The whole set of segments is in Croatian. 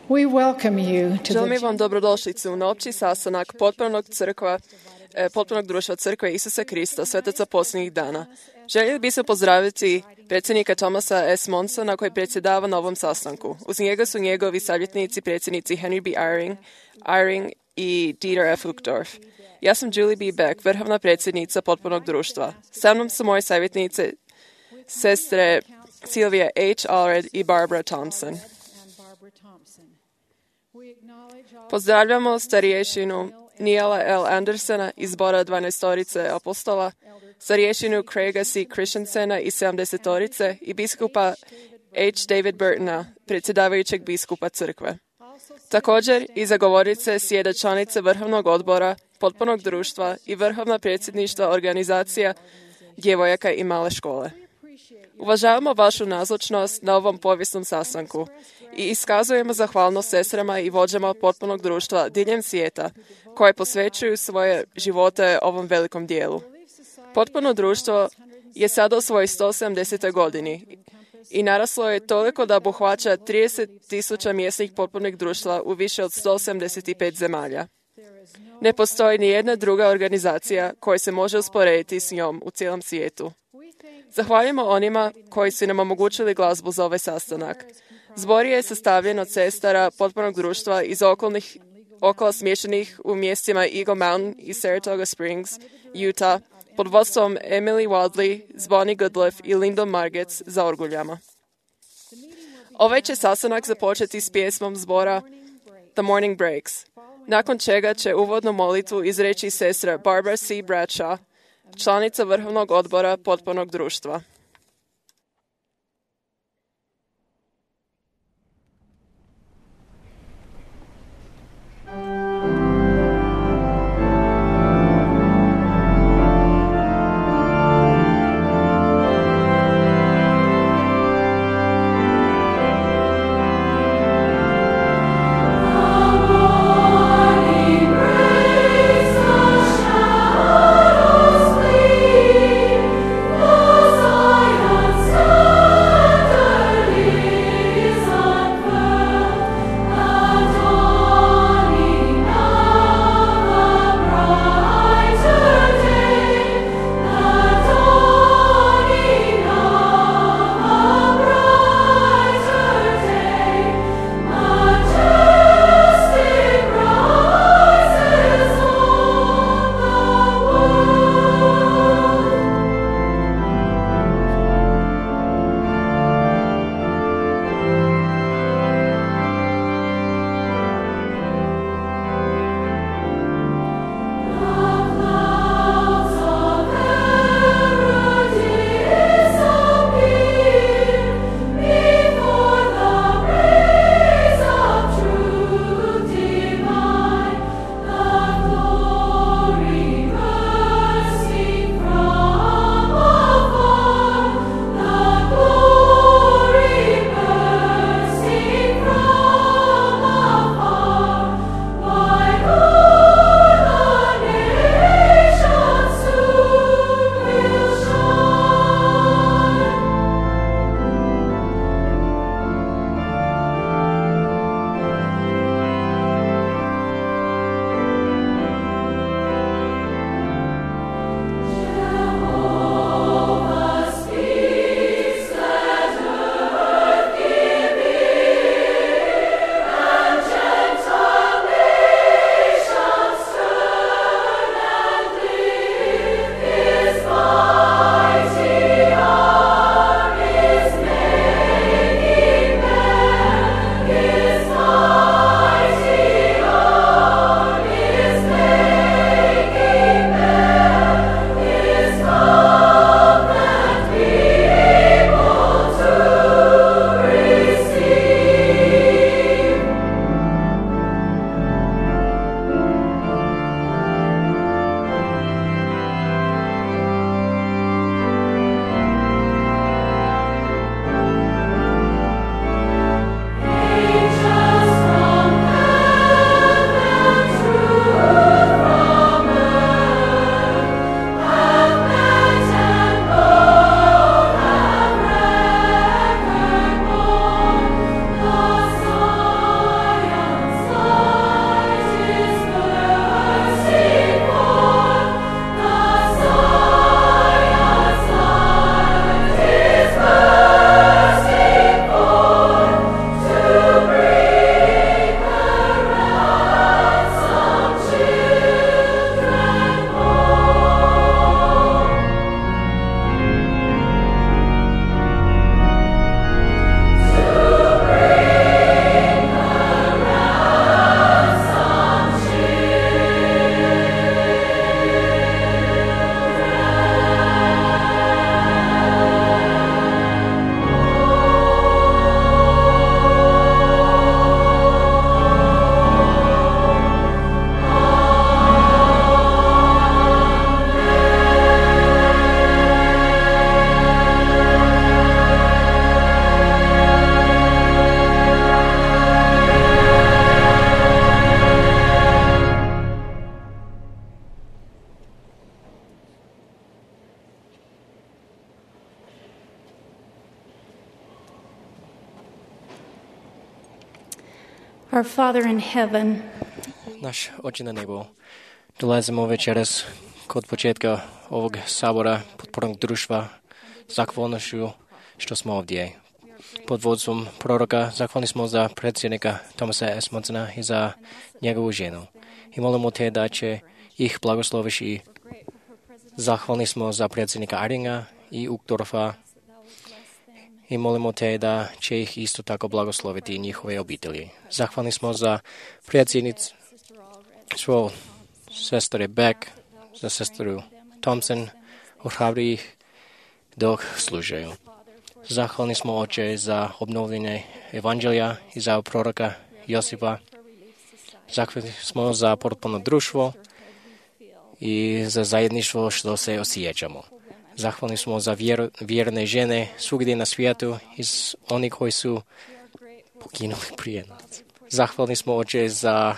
We welcome you to Želim the vam dobrodošlicu na opći sastanak potpunog društva Crkve Isusa Krista, svetaca posljednjih dana. Željeli bi se pozdraviti predsjednika Thomasa S. Monsona koji predsjedava na ovom sastanku. Uz njega su njegovi savjetnici, predsjednici Henry B. Eyring i Dieter F. Uchtdorf. Ja sam Julie B. Beck, vrhovna predsjednica potpunog društva. Sa mnom su moje savjetnice, sestre Sylvia H. Allred i Barbara Thompson. Pozdravljamo starješinu Nijela L. Andersona iz zbora 12 apostola, starješinu Craiga C. Christensena iz 70 i biskupa H. David Burtona, predsjedavajućeg biskupa crkve. Također i zagovorice sjede članice Vrhovnog odbora, potpunog društva i vrhovna predsjedništva organizacija djevojaka i male škole. Uvažavamo vašu nazočnost na ovom povijesnom sastanku i iskazujemo zahvalnost sestrama i vođama potpunog društva diljem svijeta koje posvećuju svoje živote ovom velikom dijelu. Potpuno društvo je sada u svojoj 170. godini i naraslo je toliko da obuhvaća 30,000 mjesnih potpunih društva u više od 175 zemalja. Ne postoji ni jedna druga organizacija koja se može usporediti s njom u cijelom svijetu. Zahvaljujemo onima koji su nam omogućili glazbu za ovaj sastanak. Zbor je sastavljen od sestara potpunog društva iz okolo smještenih u mjestima Eagle Mountain i Saratoga Springs, Utah, pod vodstvom Emily Wadley, Bonnie Goodliff i Lyndon Margetts za orguljama. Ovaj će sastanak započeti s pjesmom zbora The Morning Breaks, nakon čega će uvodnu molitvu izreći sestra Barbara C. Bradshaw, članica Vrhovnog odbora potpunog društva. So Our Father in heaven, Náš Oče na nebo, dolazimo večeras kod početka ovog sabora podpornog društva zahvalnošću što smo ovdje. Pod vodstvom proroka zahvalni smo za predsjednika Thomasa S. Monsona i za njegovu ženu. I molimo te da će ih blagosloviš i zahvalni smo za predsjednika Iringa i Uchtdorfa i molimo te da će ih isto tako blagosloviti njihove obitelji. Zahvalni smo za predsjednicu svoj sestre Beck, za sestru Thompson, ohrabri ih dok služaju. Zahvalni smo Oče za obnovljenje evanđelja i za proroka Josipa. Zahvalni smo za potpuno društvo i za zajedništvo što se osjećamo. Zahvalni smo za vjerne žene svugdje na svijetu i oni koji su poginuli prije nas. Zahvalni smo Oče za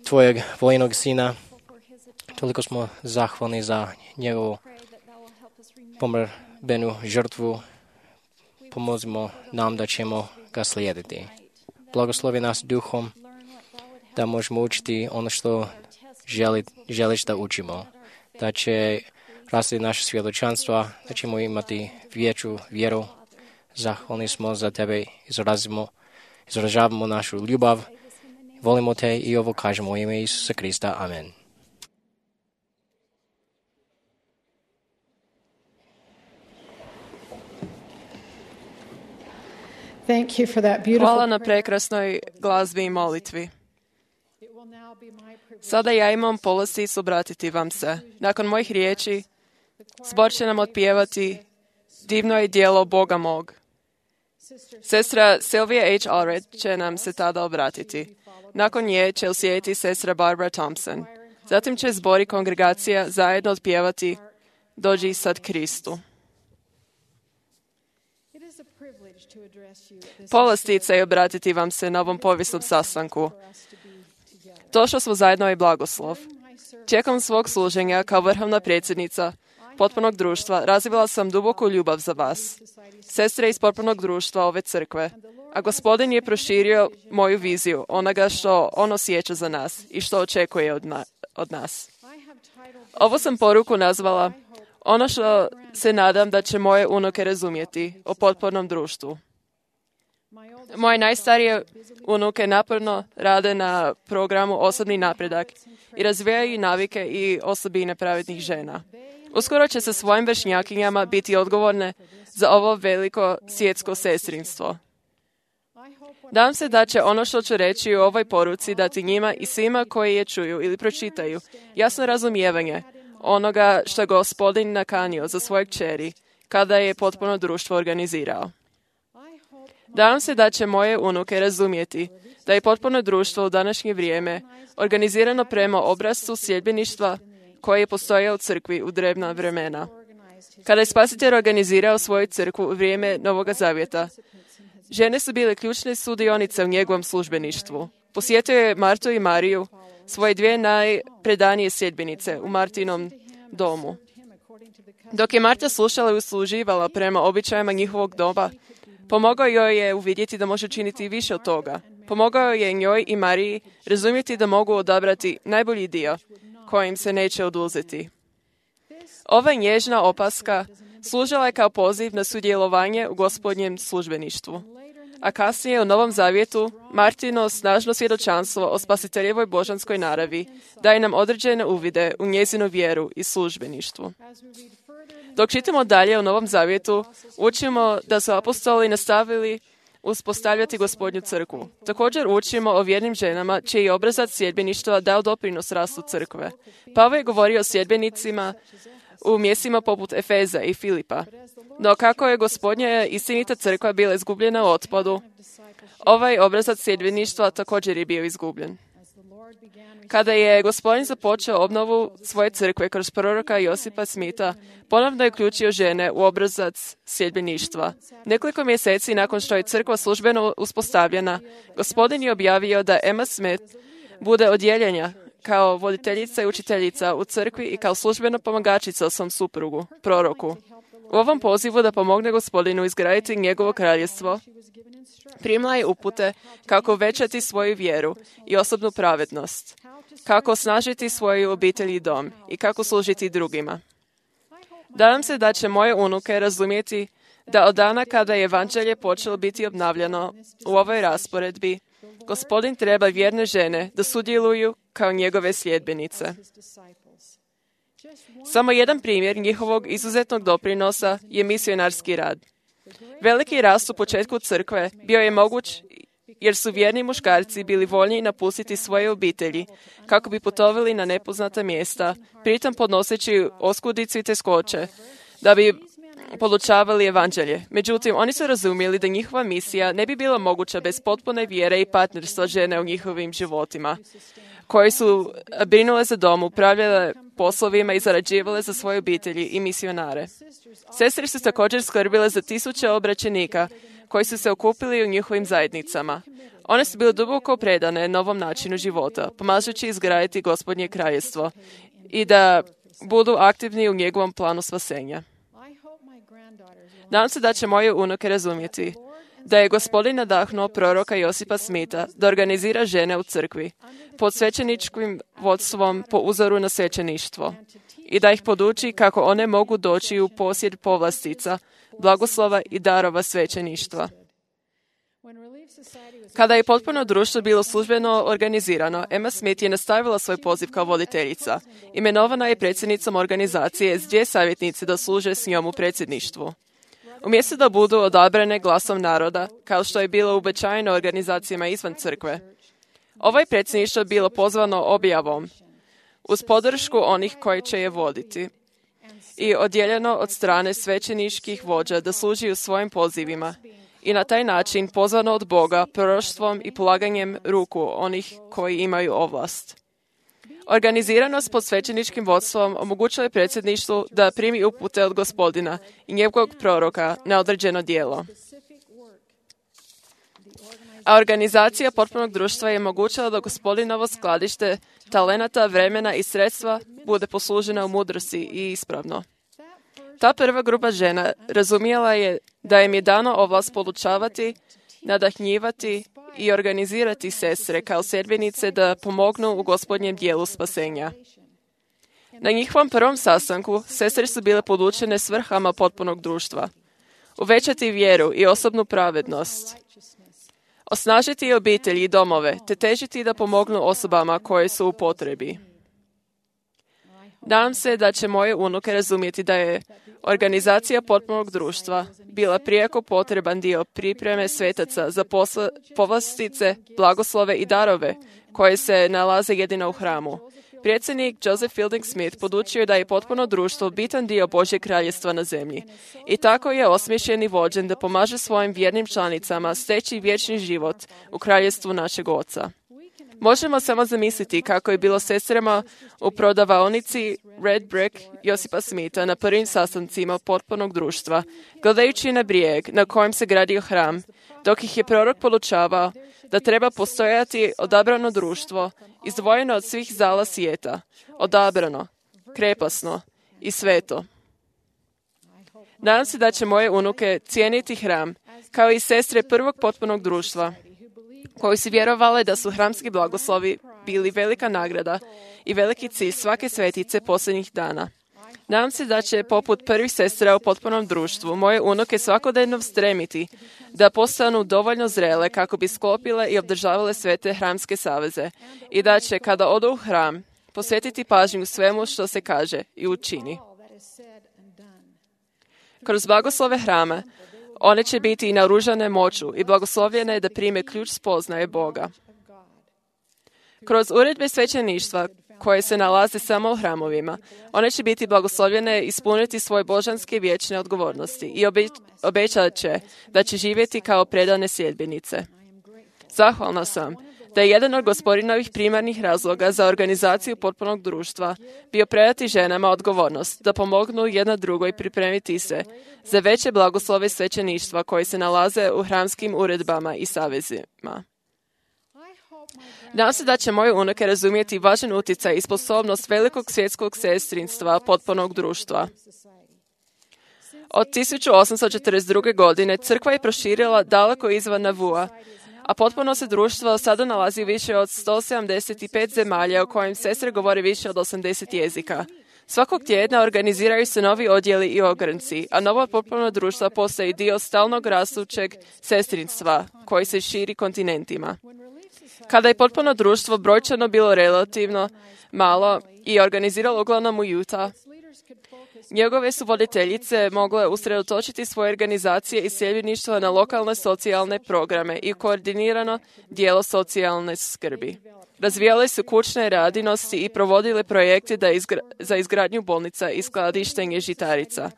tvojeg vojnog sina. Toliko smo zahvalni za njegovu pomrbenu žrtvu. Pomozimo nam da ćemo ga slijediti. Blagoslovi nas duhom da možemo učiti ono što želiš da učimo. Da će rasti naše svjedočanstva, da ćemo imati veću vjeru. Zahvalni smo za tebe, izražavamo našu ljubav. Volimo te i ovo kažemo u ime Isusa Krista. Amen. Hvala na prekrasnoj glazbi i molitvi. Sada ja imam povlasticu obratiti vam se. Nakon mojih riječi, zbor će nam otpjevati Divno je djelo Boga mog. Sestra Sylvia H. Allred će nam se tada obratiti. Nakon nje će uslijediti sestra Barbara Thompson. Zatim će zbor i kongregacija zajedno otpjevati Dođi sad Kristu. Povlastica je obratiti vam se na ovom povijesnom sastanku. To što smo zajedno je blagoslov. Tijekom svog služenja kao vrhovna predsjednica potpunog društva razvila sam duboku ljubav za vas, sestre iz potpunog društva ove crkve, a Gospodin je proširio moju viziju onoga što on osjeća za nas i što očekuje od nas. Ovo sam poruku nazvala ono što se nadam da će moje unuke razumjeti o potpornom društvu. Moje najstarije unuke naporno rade na programu Osobni napredak i razvijaju navike i osobine pravednih žena. Uskoro će sa svojim vršnjakinjama biti odgovorne za ovo veliko svjetsko sestrinstvo. Nadam se da će ono što ću reći u ovoj poruci dati njima i svima koji je čuju ili pročitaju jasno razumijevanje onoga što je Gospodin nakanio za svoje kćeri kada je potpuno društvo organizirao. Nadam se da će moje unuke razumjeti da je potpuno društvo u današnje vrijeme organizirano prema obrascu sljedbeništva koje je postojao u crkvi u drevna vremena. Kada je Spasitelj organizirao svoju crkvu u vrijeme Novoga Zavjeta, žene su bile ključne sudionice u njegovom službeništvu. Posjetio je Martu i Mariju, svoje dvije najpredanije sljedbenice u Martinom domu. Dok je Marta slušala i usluživala prema običajima njihovog doba, pomogao joj je uvidjeti da može činiti više od toga. Pomogao je njoj i Mariji razumjeti da mogu odabrati najbolji dio kojim se neće oduzeti. Ova nježna opaska služila je kao poziv na sudjelovanje u Gospodnjem službeništvu. A kasnije u Novom Zavjetu Martino snažno svjedočanstvo o Spasiteljevoj božanskoj naravi daje nam određene uvide u njezinu vjeru i službeništvu. Dok čitamo dalje u Novom Zavjetu, učimo da su apostoli nastavili uspostavljati Gospodnju crkvu. Također učimo o vjernim ženama čiji je obrazac sljedbeništva dao doprinos rastu crkve. Pavao je govorio o sljedbenicima u mjestima poput Efeza i Filipa. No kako je Gospodnja istinita crkva bila izgubljena u otpadu, ovaj obrazac sljedbeništva također je bio izgubljen. Kada je Gospodin započeo obnovu svoje crkve kroz proroka Josipa Smitha, ponovno je uključio žene u obrazac sljedbeništva. Nekoliko mjeseci nakon što je crkva službeno uspostavljena, Gospodin je objavio da Emma Smith bude odjeljenja kao voditeljica i učiteljica u crkvi i kao službena pomagačica svom suprugu, proroku. U ovom pozivu da pomogne Gospodinu izgraditi njegovo kraljestvo, primila je upute kako uvećati svoju vjeru i osobnu pravednost, kako osnažiti svoju obitelj i dom i kako služiti drugima. Nadam se da će moje unuke razumjeti da od dana kada je evanđelje počelo biti obnavljano u ovoj rasporedbi, Gospodin treba vjerne žene da sudjeluju kao njegove sljedbenice. Samo jedan primjer njihovog izuzetnog doprinosa je misionarski rad. Veliki rast u početku crkve bio je moguć jer su vjerni muškarci bili voljni napustiti svoje obitelji kako bi putovali na nepoznata mjesta, pritom podnoseći oskudicu i teškoće, da bi podučavali evanđelje. Međutim, oni su razumjeli da njihova misija ne bi bila moguća bez potpune vjere i partnerstva žene u njihovim životima, koje su brinule za dom, upravljale poslovima i zarađivale za svoje obitelji i misionare. Sestre su također skrbile za tisuće obraćenika koji su se okupili u njihovim zajednicama. One su bile duboko predane novom načinu života, pomažući izgraditi Gospodnje kraljestvo i da budu aktivni u njegovom planu spasenja. Nadam se da će moje unuke razumjeti da je Gospodin nadahnuo proroka Josipa Smitha da organizira žene u crkvi pod svećeničkim vodstvom po uzoru na svećeništvo i da ih poduči kako one mogu doći u posjed povlastica, blagoslova i darova svećeništva. Kada je potpuno društvo bilo službeno organizirano, Emma Smith je nastavila svoj poziv kao voditeljica. Imenovana je predsjednicom organizacije s 2 savjetnice da služe s njom u predsjedništvu. Umjesto da budu odabrane glasom naroda, kao što je bilo uobičajeno organizacijama izvan crkve, ovo predsjedništvo bilo pozvano objavom, uz podršku onih koji će je voditi, i odjeljeno od strane svećeničkih vođa da služi u svojim pozivima, i na taj način pozvano od Boga proroštvom i polaganjem ruku onih koji imaju ovlast. Organiziranost pod svećeničkim vodstvom omogućuje predsjedništvu da primi upute od Gospodina i njegovog proroka na određeno djelo. A organizacija potpunog društva je omogućila da Gospodinovo skladište talenata, vremena i sredstva bude poslužena u mudrosti i ispravno. Ta prva grupa žena razumjela je da im je dano ovlast podučavati, nadahnjivati i organizirati sestre kao sedbenice da pomognu u Gospodnjem dijelu spasenja. Na njihovom prvom sastanku sestre su bile podučene svrhama potpunog društva. Uvećati vjeru i osobnu pravednost. Osnažiti obitelji i domove, te težiti da pomognu osobama koje su u potrebi. Nadam se da će moje unuke razumjeti da je organizacija potpunog društva bila prijeko potreban dio pripreme svetaca za povlastice, blagoslove i darove koje se nalaze jedino u hramu. Predsjednik Joseph Fielding Smith podučio je da je potpuno društvo bitan dio Božjeg kraljestva na zemlji. I tako je osmišljen i vođen da pomaže svojim vjernim članicama steći vječni život u kraljestvu našeg Oca. Možemo samo zamisliti kako je bilo sestrama u prodavaonici Red Brick Josipa Smitha na prvim sastancima potpunog društva, gledajući na brijeg na kojem se gradio hram, dok ih je prorok podučavao da treba postojati odabrano društvo, izdvojeno od svih zala svijeta, odabrano, krepasno i sveto. Nadam se da će moje unuke cijeniti hram, kao i sestre prvog potpunog društva, koji su vjerovali da su hramski blagoslovi bili velika nagrada i veliki cilj svake svetice posljednjih dana. Nadam se da će, poput prvih sestra u potpunom društvu, moje unuke svakodnevno stremiti da postanu dovoljno zrele kako bi sklopile i obdržavale sve te hramske saveze i da će, kada odu u hram, posvetiti pažnju svemu što se kaže i učini. Kroz blagoslove hrama, one će biti i naoružane moću i blagoslovljene da prime ključ spoznaje Boga. Kroz uredbe svećeništva, koje se nalaze samo u hramovima, one će biti blagoslovljene ispuniti svoje božanske vječne odgovornosti i obećat će da će živjeti kao predane sljedbenice. Zahvalna sam da je jedan od Gospodinovih primarnih razloga za organizaciju potpunog društva bio predati ženama odgovornost da pomognu jedna drugoj pripremiti se za veće blagoslove svećeništva koje se nalaze u hramskim uredbama i savezima. Nadam se da će moje unuke razumjeti važan utjecaj i sposobnost velikog svjetskog sestrinstva potpunog društva. Od 1842. godine crkva je proširila daleko izvan Navua, a potpuno se društvo sada nalazi više od 175 zemalja u kojem sestre govore više od 80 jezika. Svakog tjedna organiziraju se novi odjeli i ogranci, a novo potpuno društvo postaje dio stalnog rastućeg sestrinstva koji se širi kontinentima. Kada je potpuno društvo brojčano bilo relativno malo i organiziralo uglavnom u Utah, njegove su voditeljice mogle usredotočiti svoje organizacije i sljedbeništvo na lokalne socijalne programe i koordinirano dijelo socijalne skrbi. Razvijale su kućne radinosti i provodile projekte za izgradnju bolnica i skladištenje žitarica.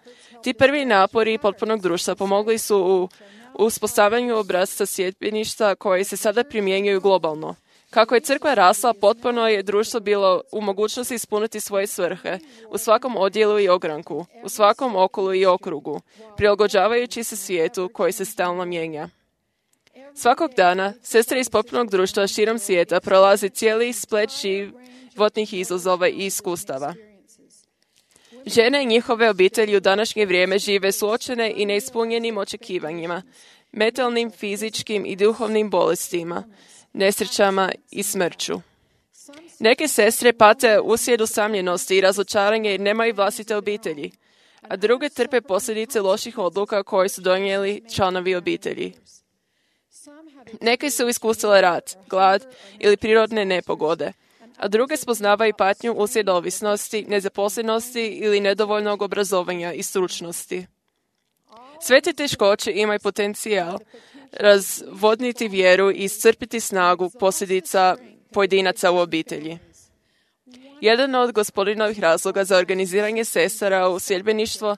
Ti prvi napori potpunog društva pomogli su u uspostavljanju obrasca sljedbeništva koji se sada primjenjuju globalno. Kako je crkva rasla, potpuno je društvo bilo u mogućnosti ispuniti svoje svrhe u svakom odjelu i ogranku, u svakom okolu i okrugu, prilagođavajući se svijetu koji se stalno mijenja. Svakog dana, sestre iz potpunog društva širom svijeta prolazi cijeli splet životnih izazova i iskustava. Žene i njihove obitelji u današnje vrijeme žive suočene i neispunjenim očekivanjima, mentalnim, fizičkim i duhovnim bolestima, nesrećama i smrću. Neke sestre pate uslijed usamljenosti i razočaranja jer nemaju vlastite obitelji, a druge trpe posljedice loših odluka koje su donijeli članovi obitelji. Neke su iskusile rat, glad ili prirodne nepogode, a druge spoznavaju patnju uslijed ovisnosti, nezaposlenosti ili nedovoljnog obrazovanja i stručnosti. Sve te teškoće imaju potencijal razvodniti vjeru i iscrpiti snagu posljedica pojedinaca u obitelji. Jedan od Gospodinovih razloga za organiziranje sestara u sljedbeništvo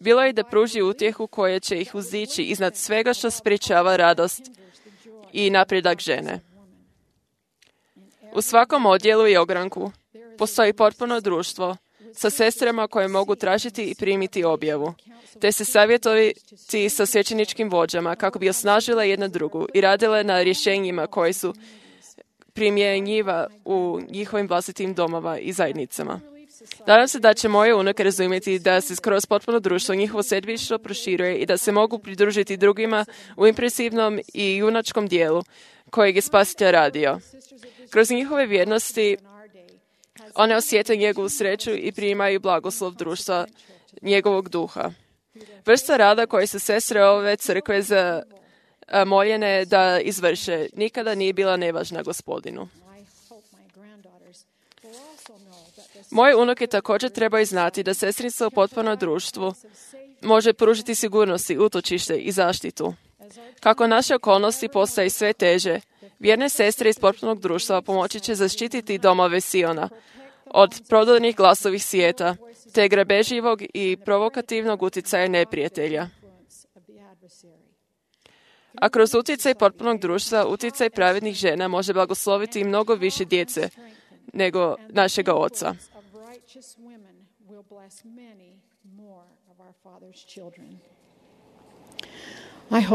bilo je da pruži utjehu koja će ih uzdići iznad svega što sprječava radost i napredak žene. U svakom odjelu i ogranku postoji potpuno društvo sa sestrama koje mogu tražiti i primiti objavu, te se savjetovati sa svećeničkim vođama kako bi osnažile jedna drugu i radile na rješenjima koje su primjenjiva u njihovim vlastitim domova i zajednicama. Nadam se da će moje unuke razumjeti da se kroz potpuno društvo njihovo sljedbeništvo proširuje i da se mogu pridružiti drugima u impresivnom i junačkom dijelu kojeg je Spasitelj radio. Kroz njihove vjernosti one osjete njegovu sreću i primaju blagoslov društva njegovog duha. Vrsta rada koje su sestre ove crkve moljene da izvrše nikada nije bila nevažna Gospodinu. Moje unuke također trebaju znati da sestrinstvo u potpunom društvu može pružiti sigurnosti, utočište i zaštitu. Kako naše okolnosti postaju sve teže, vjerne sestre iz potpunog društva pomoći će zaštititi domove Siona od prodornih glasovih svijeta, te grabeživog i provokativnog utjecaja neprijatelja. A kroz utjecaj potpunog društva, utjecaj pravednih žena može blagosloviti mnogo više djece nego našega Oca.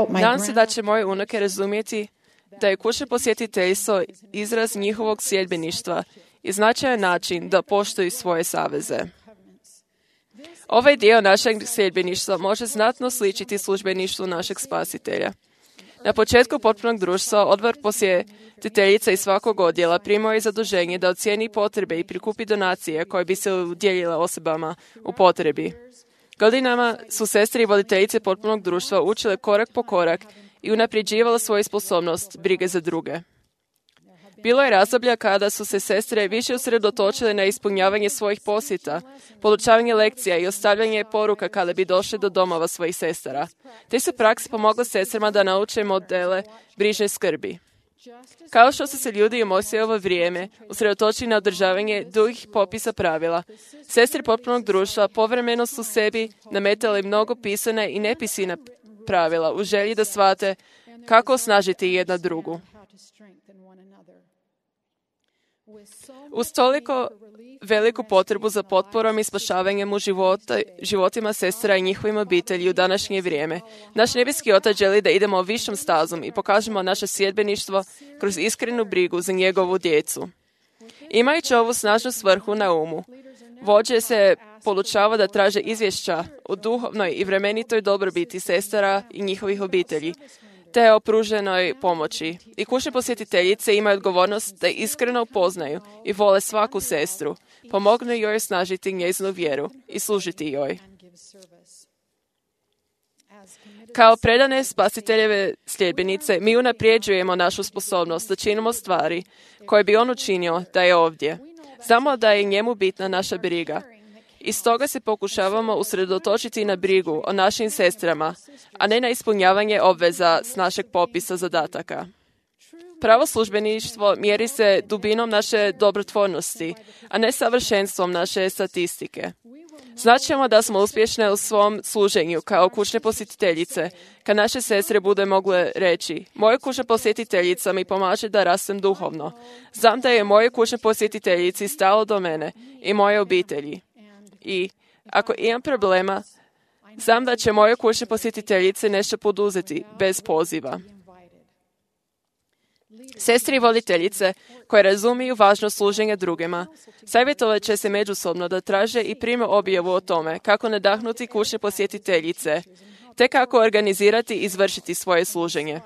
Nadam se da će moje unuke razumjeti da je kućno posjetiteljstvo izraz njihovog sljedbeništva i značajan način da poštuju svoje saveze. Ovaj dio našeg sljedbeništva može znatno sličiti službeništvu našeg Spasitelja. Na početku potpunog društva odbor posjetiteljica iz svakog odjela primao je zaduženje da ocijeni potrebe i prikupi donacije koje bi se udjeljile osobama u potrebi. Godinama su sestre i voditeljice potpunog društva učile korak po korak i unapređivale svoju sposobnost brige za druge. Bilo je razdoblja kada su se sestre više usredotočile na ispunjavanje svojih posjeta, podučavanje lekcija i ostavljanje poruka kada bi došle do domova svojih sestara. Te su prakse pomogle sestrama da nauče modele brižne skrbi. Kao što su se ljudi u Mojsijevo vrijeme usredotočili na održavanje dugih popisa pravila, sestre potpunog društva povremeno su sebi nametale mnogo pisane i nepisane pravila u želji da shvate kako osnažiti jedna drugu. Uz toliko veliku potrebu za potporom i spašavanjem u životima sestra i njihovim obitelji u današnje vrijeme, naš nebeski Otac želi da idemo višom stazom i pokažemo naše sljedbeništvo kroz iskrenu brigu za njegovu djecu. Imajući ovu snažnu svrhu na umu, Vođe se podučava da traže izvješća o duhovnoj i vremenitoj dobrobiti sestara i njihovih obitelji, te o pruženoj pomoći. I kućne posjetiteljice imaju odgovornost da iskreno upoznaju i vole svaku sestru, pomognu joj snažiti njezinu vjeru i služiti joj. Kao predane spasiteljeve sljedbenice, mi unaprijeđujemo našu sposobnost da činimo stvari koje bi on učinio da je ovdje. Znamo da je njemu bitna naša briga. I stoga se pokušavamo usredotočiti na brigu o našim sestrama, a ne na ispunjavanje obveza s našeg popisa zadataka. Pravo službeništvo mjeri se dubinom naše dobrotvornosti, a ne savršenstvom naše statistike. Znaćemo da smo uspješne u svom služenju kao kućne posjetiteljice, kad naše sestre bude mogle reći: moja kućna posjetiteljica mi pomaže da rastem duhovno. Znam da je moje kućne posjetiteljici stalo do mene i moje obitelji. I ako imam problema, znam da će moje kućne posjetiteljice nešto poduzeti bez poziva. Sestri i voditeljice koje razumiju važnost služenja drugima, savjetovat će se međusobno da traže i prime objavu o tome kako nadahnuti kućne posjetiteljice, te kako organizirati i izvršiti svoje služenje.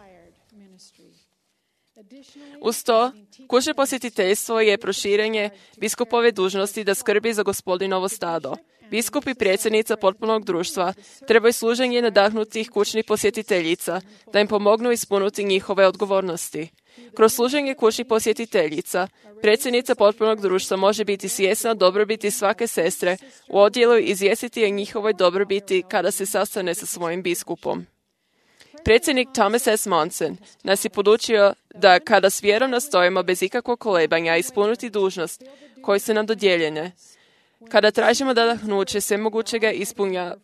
Uz to, kućno posjetiteljstvo je proširenje biskupove dužnosti da skrbi za Gospodinovo stado. Biskup i predsjednica potpunog društva trebaju služenje nadahnutih kućnih posjetiteljica da im pomognu ispuniti njihove odgovornosti. Kroz služenje kućnih posjetiteljica, predsjednica potpunog društva može biti svjesna dobrobiti svake sestre u odjelu i izvijestiti o njihovoj dobrobiti kada se sastane sa svojim biskupom. Predsjednik Thomas S. Monson nas je podučio da kada s vjerom nastojimo bez ikakvog kolebanja ispuniti dužnost koje su nam dodijeljene, kada tražimo nadahnuće svemogućega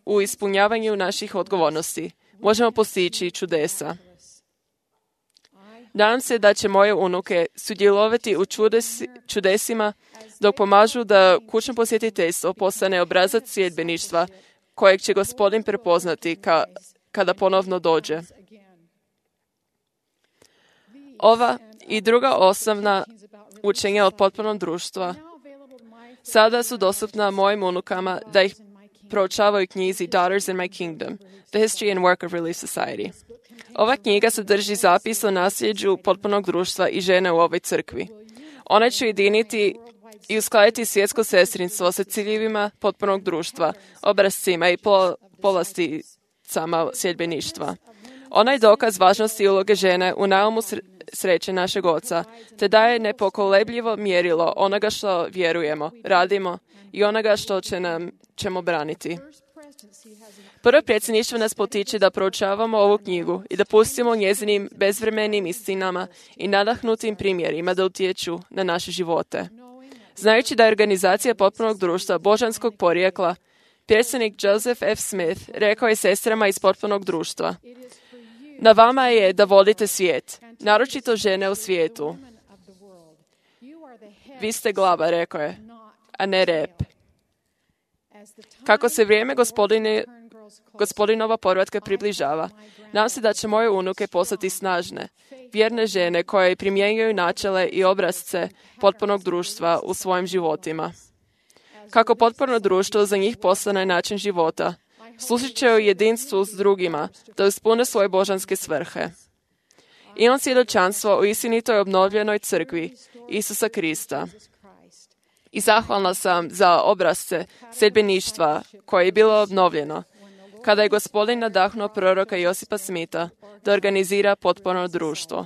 u ispunjavanju naših odgovornosti, možemo postići čudesa. Nadam se da će moje unuke sudjelovati u čudesima dok pomažu da kućno posjetiteljstvo postane obrazac sljedbeništva kojeg će Gospodin prepoznati kada ponovno dođe. Ova i druga osnovna učenja od potpunog društva sada su dostupna mojim unukama da ih proučavaju knjizi Daughters in My Kingdom, The History and Work of Relief Society. Ova knjiga sadrži zapis o nasljeđu potpunog društva i žene u ovoj crkvi. Ona će ujediniti i uskladiti svjetsko sestrinstvo sa ciljevima potpunog društva, obrascima i povlasticama sljedbeništva. Ona je dokaz važnosti uloge žene u naumu sreće našeg Oca, te daje nepokolebljivo mjerilo onoga što vjerujemo, radimo i onoga što ćemo braniti. Prvo predsjedništvo nas potiče da proučavamo ovu knjigu i da pustimo njezinim bezvremenim istinama i nadahnutim primjerima da utječu na naše živote. Znajući da je organizacija potpunog društva božanskog porijekla, predsjednik Joseph F. Smith rekao je sestrama iz potpunog društva: na vama je da vodite svijet, naročito žene u svijetu. Vi ste glava, rekao je, a ne rep. Kako se vrijeme Gospodinova povratka približava, nadam se da će moje unuke postati snažne, vjerne žene koje primjenjuju načele i obrasce potpunog društva u svojim životima. Kako potpuno društvo za njih postane način života, služit će u jedinstvu s drugima da ispune svoje božanske svrhe. Imam svjedočanstvo o istinitoj obnovljenoj crkvi Isusa Krista. I zahvalna sam za obrasce sljedbeništva koje je bilo obnovljeno, kada je Gospodin nadahnuo proroka Josipa Smitha da organizira potpuno društvo.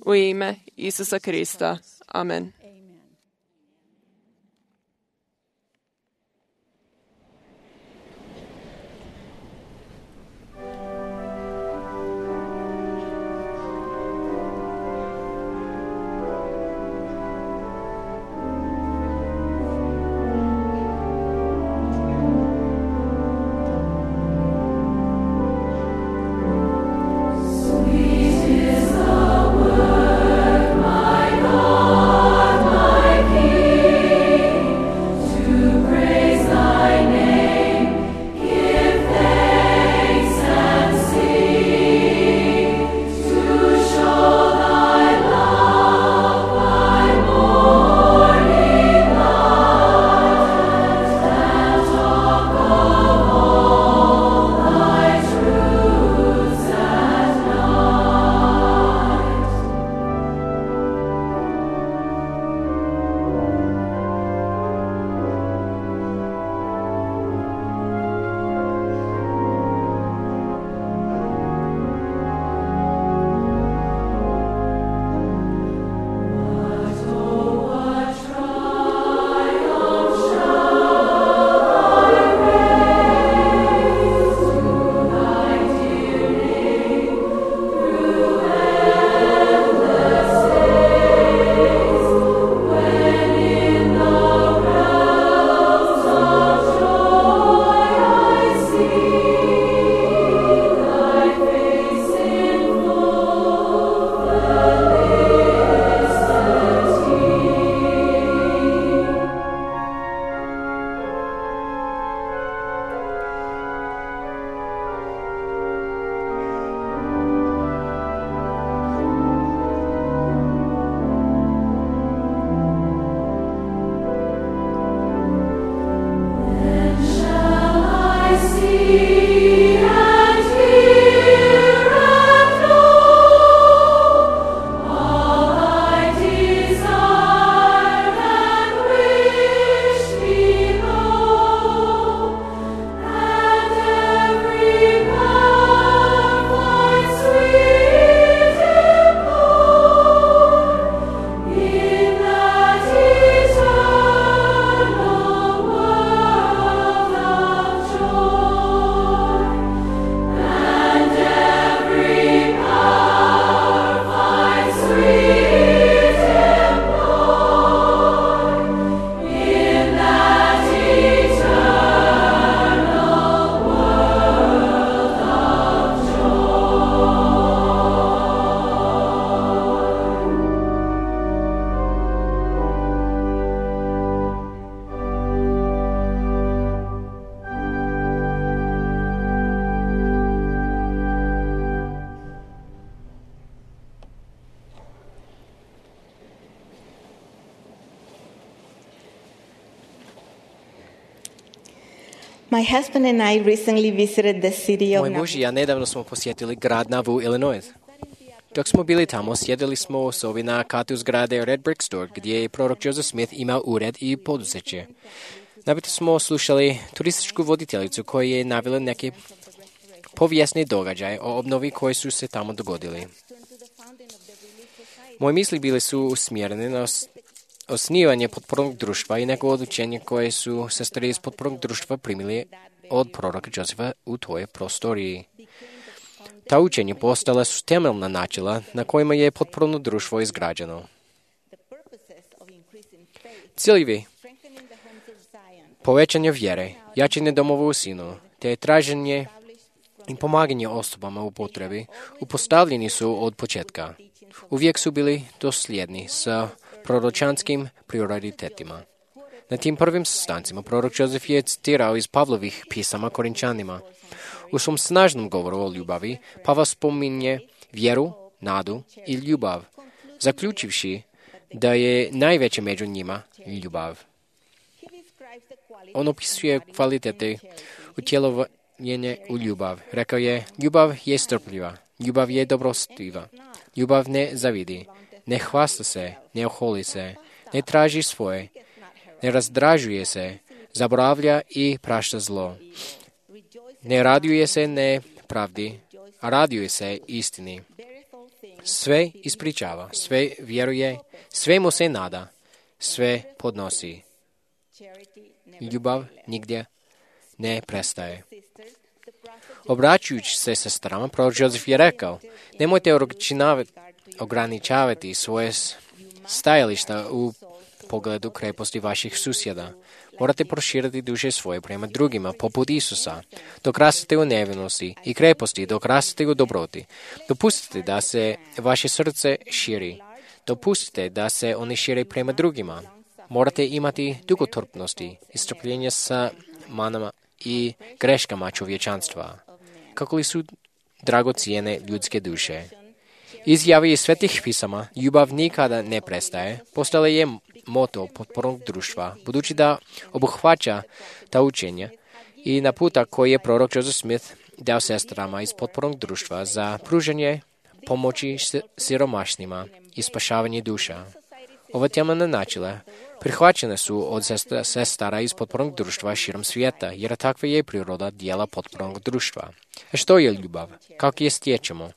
U ime Isusa Krista. Amen. Sweet is the word, my God. My husband and I recently visited the city of Moj muž i ja nedavno smo posjetili grad Nauvoo, Illinois. Dok smo bili tamo, sjedili smo u sobi na katu zgrade Red Brick Store, gdje je prorok Joseph Smith imao ured i poduzeće. Napito smo slušali turističku voditeljicu koja je navela neke povijesne događaje o obnovi koji su se tamo dogodili. Moje misli bile su usmjerene na osnivanje potpornog društva i neko odlučenje koje su sestre iz potpornog društva primili od proroka Josefa u toj prostoriji. Ta učenja postala su temeljna načela na kojima je potporno društvo izgrađeno. Ciljevi povećanje vjere, jačanje domova u sinu, te traženje i pomaganje osobama u potrebi upostavljeni su od početka. Uvijek su bili dosljedni sa proročanskim prioritetima. Na tim prvim sastancima prorok Josef je citirao iz Pavlovih pisama Korinčanima. U svom snažnom govoru o ljubavi Pavao spominje vjeru, nadu i ljubav, zaključivši da je najveće među njima ljubav. On opisuje kvalitete utjelovljenja u ljubav. Rekao je, ljubav je strpljiva, ljubav je dobrostiva, ljubav ne zavidi, ne hvasta se, ne oholi se, ne traži svoje, ne razdražuje se, zaboravlja i prašta zlo. Ne raduje se nepravdi, a raduje se istini. Sve ispričava, sve vjeruje, sve mu se nada, sve podnosi. Ljubav nigdje ne prestaje. Obraćujući se sestrama, prorok Josef je rekao, nemojte ograničavati svoje stajališta u pogledu kreposti vaših susjeda. Morate proširiti duše svoje prema drugima, poput Isusa. Dok rastete u nevinosti i kreposti, dok rastete u dobroti. Dopustite da se vaše srce širi. Dopustite da se oni šire prema drugima. Morate imati dugotrpnosti i strpljenje sa manama i greškama čovječanstva. Kako li su dragocijene ljudske duše. Izjave iz svetih pisama, ljubav nikada ne prestaje, postala je moto potpornog društva, budući da obuhvaća ta učenja i naputak koji je prorok Joseph Smith dao sestrama iz potpornog društva za pružanje pomoći siromašnima i spašavanje duša. Ova temeljna načela prihvaćene su od sestara iz potpornog društva širom svijeta, jer takva je priroda dijela potpornog društva. A što je ljubav? Kako je stječemo?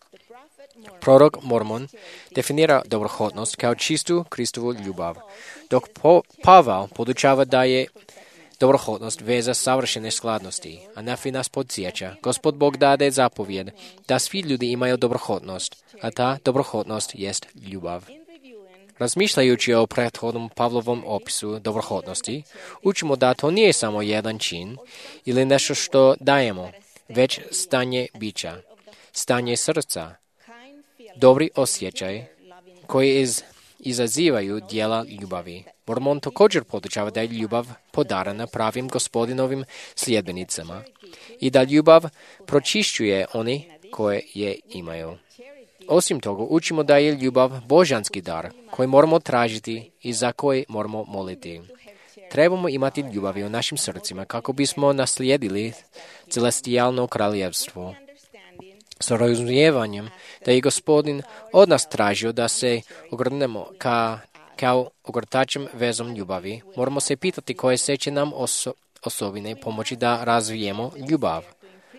Prorok Mormon definira dobrohotnost kao čistu Kristovu ljubav, dok Pavao podučava da je dobrohotnost veza savršene skladnosti, a Nafi nas podsjeća, Gospod Bog dade zapovjed da svi ljudi imaju dobrohotnost, a ta dobrohotnost jest ljubav. Razmišljajući o prethodnom Pavlovom opisu dobrohotnosti, učimo da to nije samo jedan čin ili nešto što dajemo, već stanje bića, stanje srca, dobri osjećaj koji izazivaju dijela ljubavi. Mormon također podučava da je ljubav podarana pravim Gospodinovim sljedbenicama i da ljubav pročišćuje oni koje je imaju. Osim toga, učimo da je ljubav božanski dar koji moramo tražiti i za koji moramo moliti. Trebamo imati ljubavi u našim srcima kako bismo naslijedili celestijalno kraljevstvo. S razumijevanjem da je Gospodin od nas tražio da se ogrnemo kao ogrtačem vezom ljubavi, moramo se pitati koje se će nam osobine pomoći da razvijemo ljubav.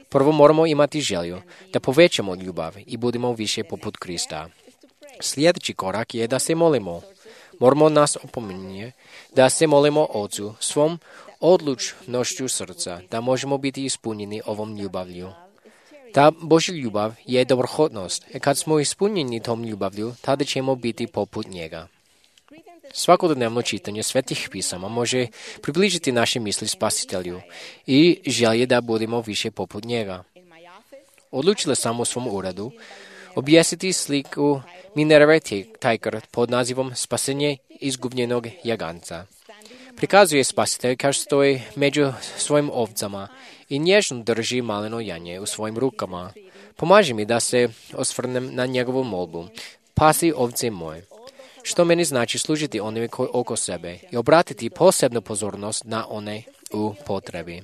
Prvo moramo imati želju da povećamo ljubav i budemo više poput Krista. Sljedeći korak je da se molimo. Moramo nas opominje da se molimo Ocu svom odlučnošću srca, da možemo biti ispunjeni ovom ljubavlju. Ta Božja ljubav je dobrohotnost, i kad smo ispunjeni tom ljubavlju, tada ćemo biti poput njega. Svakodnevno čitanje svetih pisama može približiti naše misli Spasitelju i želje da budemo više poput njega. Odlučila sam u svom uredu objesiti sliku Minerve Teicher pod nazivom Spasenje izgubljenog jaganca. Prikazuje Spasitelj kao što stoji među svojim ovcama i nježno drži maleno janje u svojim rukama. Pomaži mi da se osvrnem na njegovu molbu. Pasi ovce moje. Što meni znači služiti onima koji oko sebe i obratiti posebnu pozornost na one u potrebi.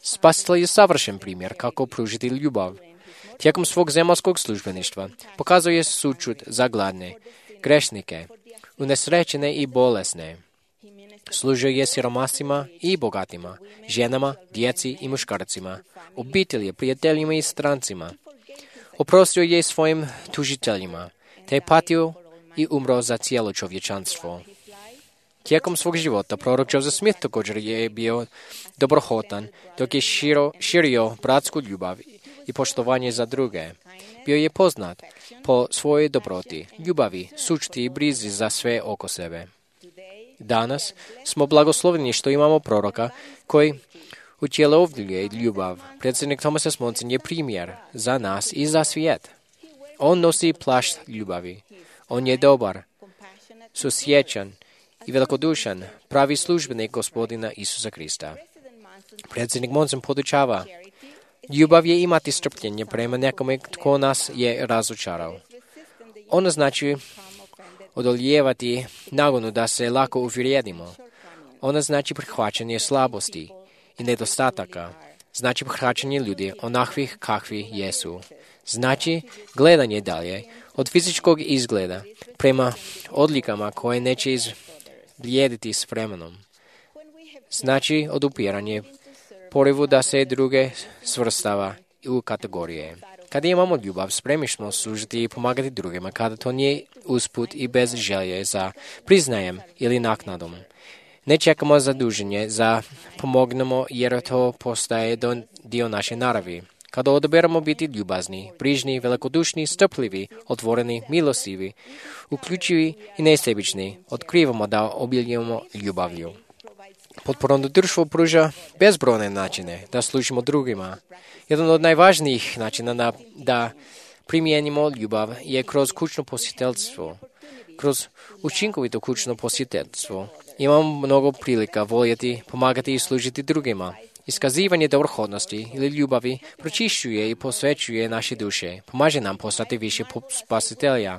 Spasitelj je savršen primjer kako pružiti ljubav. Tijekom svog zemaljskog službeništva pokazuje sućut za gladne, grešnike, unesrećene i bolesne. Služio je siromasima i bogatima, ženama, djeci i muškarcima, obitelji, prijateljima i strancima. Oprostio je svojim tužiteljima, te je patio i umro za cijelo čovječanstvo. Tijekom svog života prorok Joseph Smith također je bio dobrohotan, dok je širio bratsku ljubav i poštovanje za druge. Bio je poznat po svojoj dobroti, ljubavi, sućuti i brizi za sve oko sebe. Danas smo blagosloveni što imamo proroka koji utjelovljuje ljubav. Predsjednik Thomas S. Monson je primjer za nas i za svijet. On nosi plašt ljubavi. On je dobar, susjećan i velikodušan, pravi službenik Gospodina Isusa Krista. Predsjednik Monson podučava: ljubav je imati strpljenje prema nekome tko nas je razočarao. Ono znači odolijevati nagonu da se lako uvrijedimo. Ono znači prihvaćanje slabosti i nedostataka. Znači prihvaćanje ljudi onakvih kakvi jesu. Znači gledanje dalje od fizičkog izgleda prema odlikama koje neće izblijediti s vremenom. Znači odupiranje porivu da se druge svrstava u kategorije. Kada imamo ljubav, spremni smo služiti i pomagati drugima, kada to nije usput i bez želje za priznajem ili naknadom. Ne čekamo zaduženje za pomognemo jer to postaje dio naše naravi. Kada odaberemo biti ljubazni, brižni, velikodušni, strpljivi, otvoreni, milostivi, uključivi i nesebični, otkrivamo da obiljujemo ljubavlju. Potporno društvo pruža bezbrojne načine da služimo drugima. Jedan od najvažnijih načina da primijenimo ljubav je kroz kućno posjetiteljstvo. Kroz učinkovito kućno posjetiteljstvo imamo mnogo prilika voljeti, pomagati i služiti drugima. Iskazivanje dobrohodnosti ili ljubavi pročišćuje i posvećuje naše duše, pomaže nam postati više spasitelja.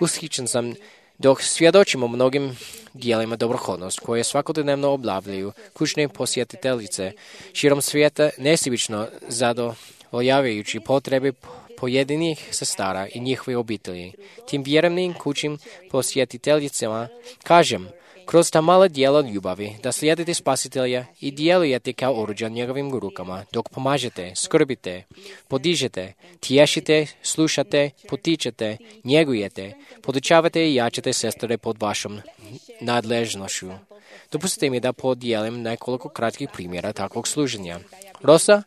Ushićen sam dok svjedočimo mnogim dijelima dobrohodnost koje svakodnevno obavljaju kućne posjetiteljice širom svijeta nesebično zadovoljavajući potrebe pojedinih sestara i njihove obitelji. Tim vjernim kućnim posjetiteljicama kažem, kroz ta mala dijela ljubavi, da slijedite Spasitelja i djelujete kao oruđa njegovim rukama, dok pomažete, skrbite, podižete, tješite, slušate, potičete, njegujete, podučavate i jačate sestre pod vašom nadležnošću. Dopustite mi da podijelim nekoliko kratkih primjera takvog služenja. Rosa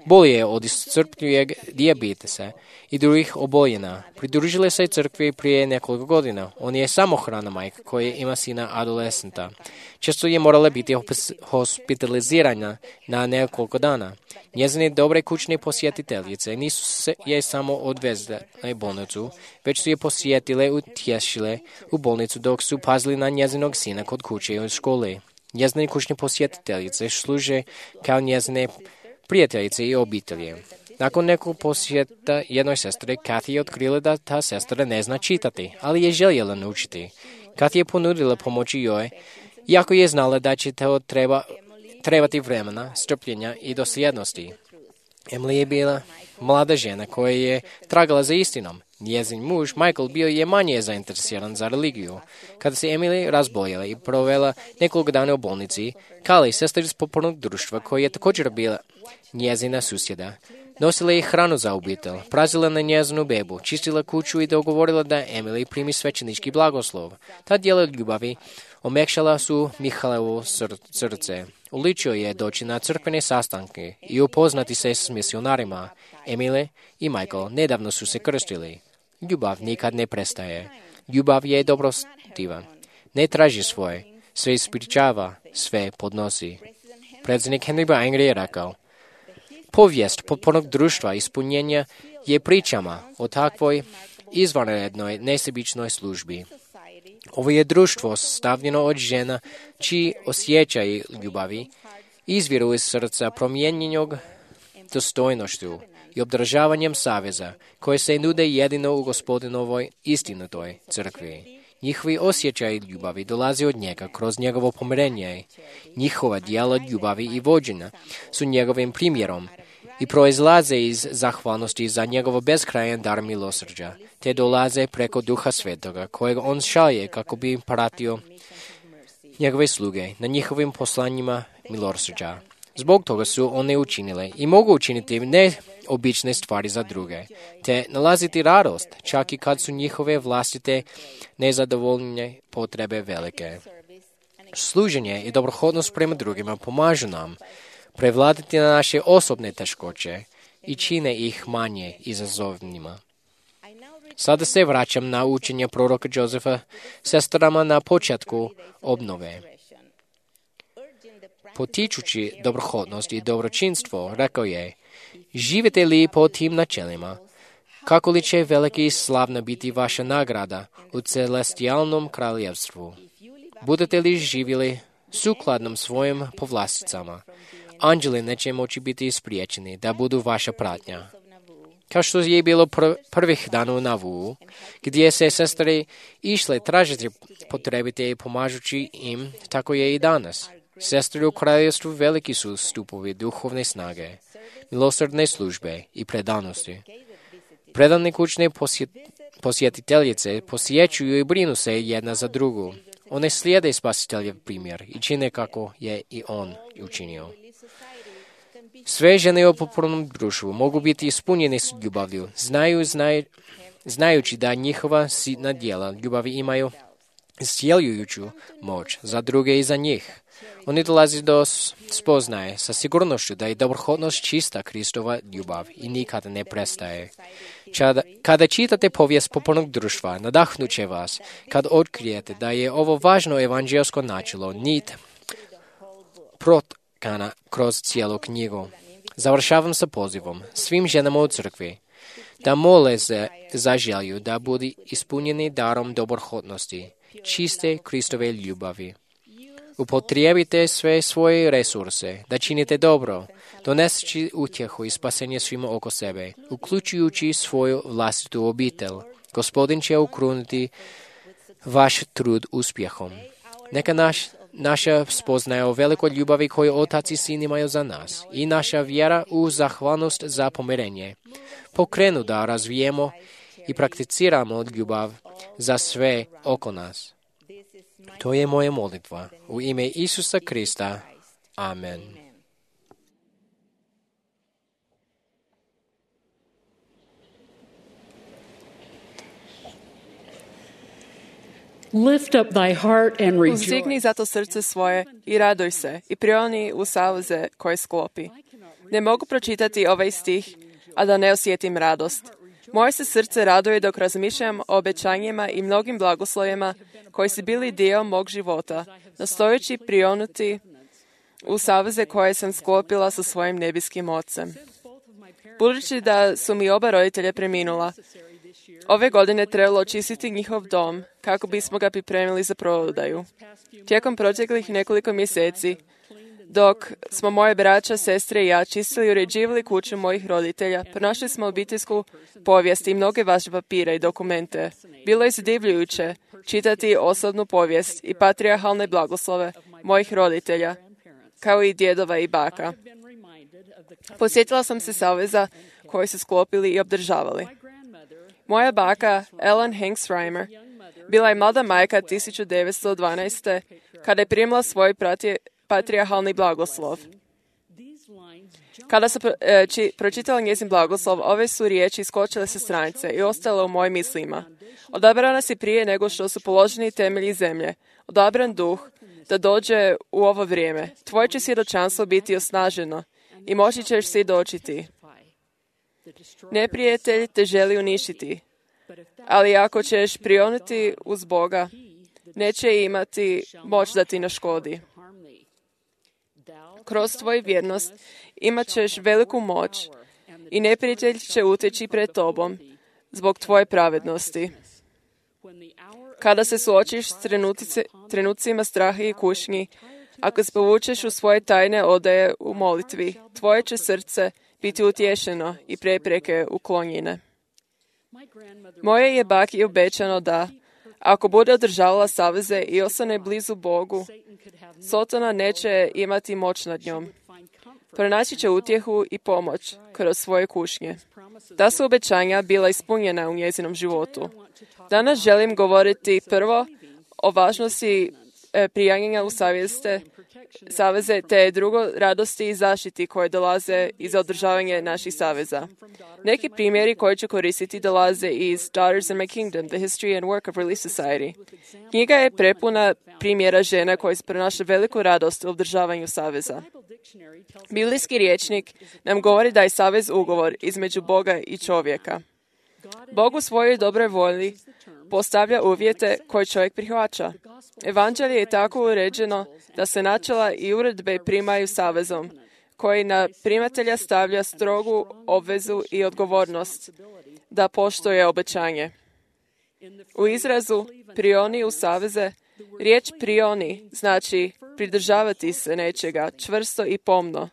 bolje od iscrpljivog dijabetesa i drugih oboljena. Pridružila se crkvi prije nekoliko godina. On je samohrana majka koja ima sina adolescenta. Često je morala biti hospitalizirana na nekoliko dana. Njezine dobre kućne posjetiteljice nisu je samo odvezle u bolnicu, već su je posjetile, utješile u bolnicu dok su pazili na njezinog sina kod kuće i od škole. Njezine kućne posjetiteljice služe kao njezine prijateljice i obitelje. Nakon nekog posjeta jednoj sestre, Kathy je otkrila da ta sestra ne zna čitati, ali je željela naučiti. Kathy je ponudila pomoći joj, iako je znala da će to trebati vremena, strpljenja i dosljednosti. Emily je bila mlada žena koja je tragala za istinom. Njezin muž, Michael, bio je manje zainteresiran za religiju. Kada se Emily razboljela i provela nekoliko dana u bolnici, Kali, sestra iz popornog društva, koja je također bila njezina susjeda, nosila je hranu za obitelj, prazila na njezinu bebu, čistila kuću i dogovorila da Emily primi svećenički blagoslov. Ta djela ljubavi omekšala su Mihalevo srce. Uličio je doći na crkvene sastanke i upoznati se s misionarima. Emily i Michael nedavno su se krstili. Ljubav nikad ne prestaje. Ljubav je dobrostivan. Ne traži svoje, sve ispričava, sve podnosi. Predsjednik Henry B. Angry je rekao: povijest potpornog društva ispunjenja je pričama o takvoj izvanrednoj nesebičnoj službi. Ovo je društvo stavljeno od žena čiji osjećaj ljubavi izviru iz srca promijenjenog dostojnošću i obdržavanjem saveza koje se nude jedino u Gospodinovoj istinitoj crkvi. Njihovi osjećaji ljubavi dolazi od njega kroz njegovo pomirenje. Njihova djela ljubavi i vođenja su njegovim primjerom i proizlaze iz zahvalnosti za njegovo beskrajan dar milosrđa, te dolaze preko Duha Svetoga, kojeg on šalje kako bi pratio njegove sluge na njihovim poslanjima milosrđa. Zbog toga su one učinile i mogu učiniti neobične stvari za druge, te nalaziti radost, čak i kad su njihove vlastite nezadovoljne potrebe velike. Služenje i dobrohodnost prema drugima pomažu nam prevladati na naše osobne teškoće i čine ih manje izazovnima. Sada se vraćam na učenje proroka Josefa sestrama na početku obnove. Potičući dobrohodnost i dobročinstvo, rekao je: živite li po tim načelima, kako li će veliki i slavna biti vaša nagrada u celestijalnom kraljevstvu? Budete li živjeli sukladnom svojim povlasticama, anđeli neće moći biti spriječeni da budu vaša pratnja. Kao što je bilo prvih dana u Navu, gdje se sestre išle tražiti potrebite i pomažući im, tako je i danas. Sestre u kraljevstvu veliki su stupovi duhovne snage, milosrdne službe i predanosti. Predane kućne posjetiteljice posjećuju i brinu se jedna za drugu. One slijede spasiteljev primjer i čine kako je i on učinio. Sve žene u popularnom društvu mogu biti ispunjene s ljubavlju, znajući da njihova sitna djela ljubavi imaju iscjeljujuću moć za druge i za njih. Oni dolazi do spoznaje sa sigurnošću da je dobrohodnost čista Kristova ljubav i nikada ne prestaje. Kada čitate povijest popularnog društva, nadahnut će vas kad otkrijete da je ovo važno evanđelsko načelo, nit protkana kroz cijelu knjigu. Završavam sa pozivom svim ženama u crkvi da mole za želju da budu ispunjeni darom dobrohodnosti, čiste Kristove ljubavi. Upotrijebite sve svoje resurse da činite dobro, doneseći utjehu i spasenje svima oko sebe, uključujući svoju vlastitu obitelj. Gospodin će ukruniti vaš trud uspjehom. Neka naša spoznaja o velikoj ljubavi koju Otac i Sin imaju za nas i naša vjera u zahvalnost za pomirenje pokrenu da razvijemo i prakticiramo ljubav za sve oko nas. To je moja molitva. U ime Isusa Krista. Amen. Lift up thy heart and rejoice. Uzdigni zato srce svoje i raduj se i prioni u saveze koje sklopi. Ne mogu pročitati ovaj stih, a da ne osjetim radost. Moje se srce raduje dok razmišljam o obećanjima i mnogim blagoslovima koji su bili dio mog života, nastojeći prionuti u saveze koje sam sklopila sa svojim nebeskim Ocem. Budući da su mi oba roditelja preminula, ove godine trebalo očistiti njihov dom kako bismo ga pripremili za prodaju. Tijekom proteklih nekoliko mjeseci, dok smo moje braća, sestre i ja čistili i uređivali kuću mojih roditelja, pronašli smo obiteljsku povijest i mnoge vaše papire i dokumente. Bilo je zadivljujuće čitati osobnu povijest i patrijarhalne blagoslove mojih roditelja, kao i djedova i baka. Posjetila sam se saveza koje su sklopili i obdržavali. Moja baka, Ellen Hanks Reimer, bila je mlada majka 1912. kada je primila svoj patrijarhalni blagoslov. Kada sam pročitala njezin blagoslov, ove su riječi iskočile sa stranice i ostale u mojim mislima. Odabrana si prije nego što su položeni temelji zemlje. Odabran duh da dođe u ovo vrijeme. Tvoje će svjedočanstvo biti osnaženo i moći ćeš svjedočiti. Neprijatelj te želi uništiti, ali ako ćeš prionuti uz Boga, neće imati moć da ti naškodi. Kroz tvoju vjernost imat ćeš veliku moć i neprijatelj će uteći pred tobom zbog tvoje pravednosti. Kada se suočiš s trenucima straha i kušnji, ako se povučeš u svoje tajne odaje u molitvi, tvoje će srce biti utješeno i prepreke uklonjene. Moje je baki obećano da, Ako bude održavala saveze i ostane blizu Bogu, Sotona neće imati moć nad njom. Pronaći će utjehu i pomoć kroz svoje kušnje. Ta su obećanja bila ispunjena u njezinom životu. Danas želim govoriti prvo o važnosti prijanjanja u saveze, te drugo radosti i zaštiti koje dolaze iz održavanja naših saveza. Neki primjeri koji ću koristiti dolaze iz Daughters in My Kingdom, The History and Work of Relief Society. Knjiga je prepuna primjera žena koje pronašle veliku radost u održavanju saveza. Biblijski rječnik nam govori da je savez ugovor između Boga i čovjeka. Bog u svojoj dobroj volji postavlja uvjete koje čovjek prihvaća. Evanđelje je tako uređeno da se načela i uredbe primaju savezom, koji na primatelja stavlja strogu obvezu i odgovornost da poštuje obećanje. U izrazu prioni u saveze, riječ prioni znači pridržavati se nečega čvrsto i pomno.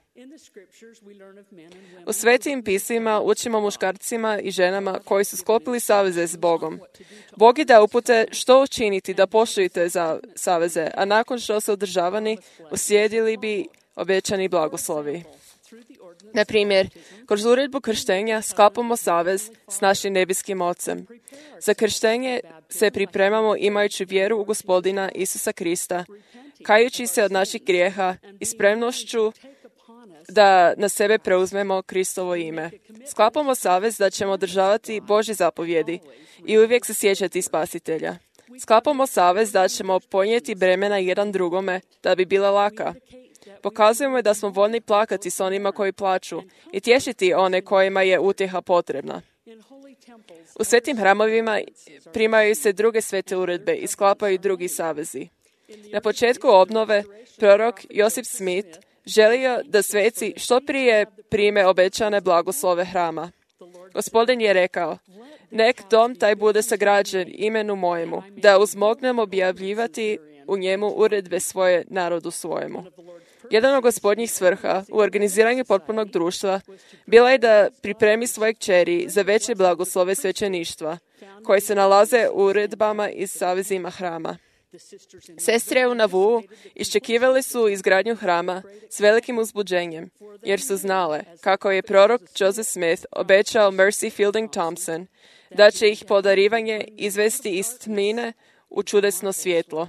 U svetim pismima učimo muškarcima i ženama koji su sklopili saveze s Bogom. Bog je dao upute što učiniti da poštujete za saveze, a nakon što su održavani, uslijedili bi obećani blagoslovi. Na primjer, kroz uredbu krštenja sklapamo savez s našim nebeskim Ocem. Za krštenje se pripremamo imajući vjeru u Gospodina Isusa Krista, kajući se od naših grijeha i spremnošću da na sebe preuzmemo Kristovo ime. Sklapamo savez da ćemo održavati Božje zapovjedi i uvijek se sjećati Spasitelja. Sklapamo savez da ćemo ponijeti bremena jedan drugome da bi bila laka. Pokazujemo da smo voljni plakati s onima koji plaču i tješiti one kojima je utjeha potrebna. U svetim hramovima primaju se druge svete uredbe i sklapaju drugi savezi. Na početku obnove prorok Josip Smith želio da sveci što prije prime obećane blagoslove hrama. Gospodin je rekao, nek dom taj bude sagrađen imenu mojemu, da uzmognem objavljivati u njemu uredbe svoje narodu svojemu. Jedan od gospodnjih svrha u organiziranju potpunog društva bila je da pripremi svoje kćeri za veće blagoslove svećeništva, koje se nalaze u uredbama i savezima hrama. Sestre u Navuu iščekivali su izgradnju hrama s velikim uzbuđenjem, jer su znale kako je prorok Joseph Smith obećao Mercy Fielding Thompson da će ih podarivanje izvesti iz tmine u čudesno svjetlo.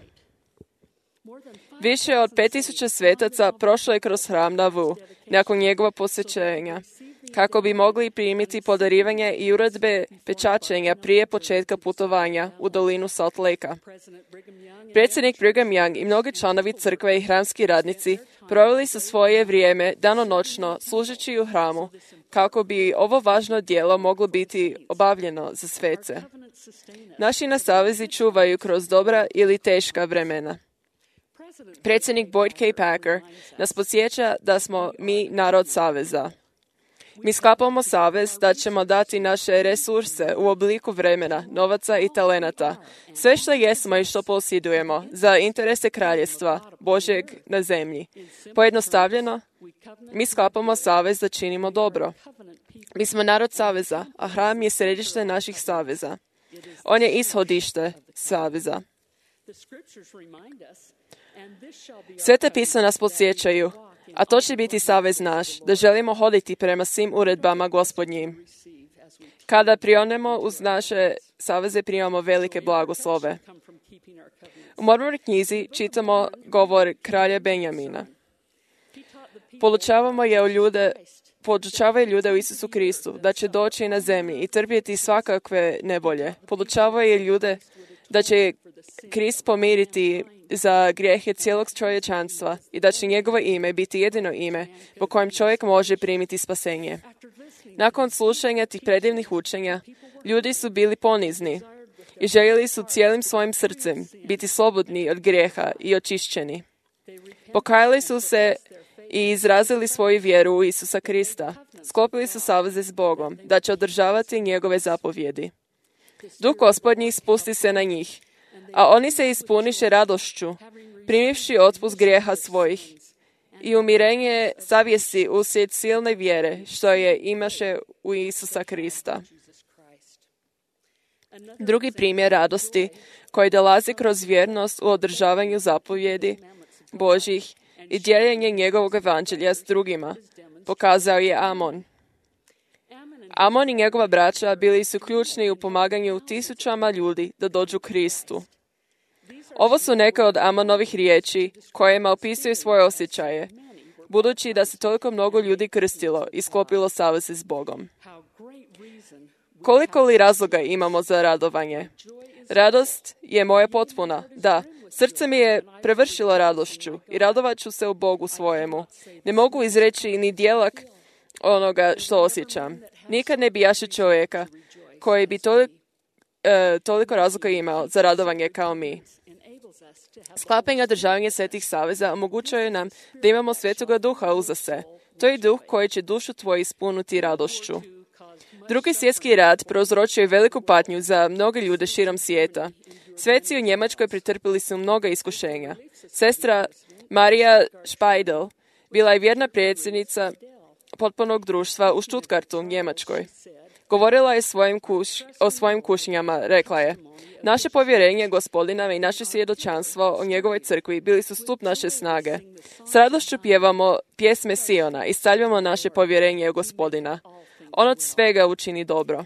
Više od 5000 svetaca prošlo je kroz hram Nauvoo nakon njegova posvećenja, kako bi mogli primiti podarivanje i uredbe pečačenja prije početka putovanja u dolinu Salt Lakea. Predsjednik Brigham Young i mnogi članovi crkve i hramski radnici proveli su svoje vrijeme danonoćno služeći u hramu, kako bi ovo važno djelo moglo biti obavljeno za svece. Naši nas savezi čuvaju kroz dobra ili teška vremena. Predsjednik Boyd K. Packer nas podsjeća da smo mi narod saveza. Mi sklapamo savez da ćemo dati naše resurse u obliku vremena, novaca i talenata, sve što jesmo i što posjedujemo, za interese kraljestva Božjeg na zemlji. Pojednostavljeno, mi sklapamo savez da činimo dobro. Mi smo narod saveza, a hram je središte naših saveza. On je ishodište saveza. Sveta pisma nas podsjećaju, a to će biti savez naš, da želimo hoditi prema svim uredbama Gospodnjim. Kada prionemo uz naše saveze, primamo velike blagoslove. U Mormonoj knjizi čitamo govor kralja Benjamina. Podučavaju ljude u Isusu Kristu da će doći na zemlji i trpjeti svakakve nevolje. Podučavaju ljude da će Krist pomiriti za grijehe cijelog čovječanstva i da će njegovo ime biti jedino ime po kojem čovjek može primiti spasenje. Nakon slušanja tih predivnih učenja, ljudi su bili ponizni i željeli su cijelim svojim srcem biti slobodni od grijeha i očišćeni. Pokajali su se i izrazili svoju vjeru u Isusa Krista. Sklopili su saveze s Bogom da će održavati njegove zapovjedi. Duh Gospodnji spusti se na njih, a oni se ispuniše radošću, primivši otpust grijeha svojih i umirenje savjesti uslijed silne vjere što je imaše u Isusa Krista. Drugi primjer radosti koji dolazi kroz vjernost u održavanju zapovjedi Božjih i dijeljenje njegovog evanđelja s drugima pokazao je Amon. Amon i njegova braća bili su ključni u pomaganju tisućama ljudi da dođu Kristu. Ovo su neke od Amonovih riječi kojima opisuju svoje osjećaje, budući da se toliko mnogo ljudi krstilo i sklopilo saveze s Bogom. Koliko li razloga imamo za radovanje? Radost je moja potpuna. Da, srce mi je prevršilo radošću i radovat ću se u Bogu svojemu. Ne mogu izreći ni dijelak onoga što osjećam. Nikad ne bijaše čovjeka koji bi toliko razloga imao za radovanje kao mi. Sklapanje i održavanje svetih saveza omogućuje nam da imamo Svetoga Duha uza se. To je duh koji će dušu tvoju ispuniti radošću. Drugi svjetski rat prouzročio je veliku patnju za mnoge ljude širom svijeta. Sveci u Njemačkoj pretrpili su mnoga iskušenja. Sestra Marija Špajdel bila je vjerna predsjednica potpornog društva u Stuttgartu, Njemačkoj. Govorila je o svojim kušnjama, rekla je: naše povjerenje Gospodina i naše svjedočanstvo o njegovoj crkvi bili su stup naše snage. S radošću pjevamo pjesme Siona i stavljamo naše povjerenje u Gospodina. On od svega učini dobro.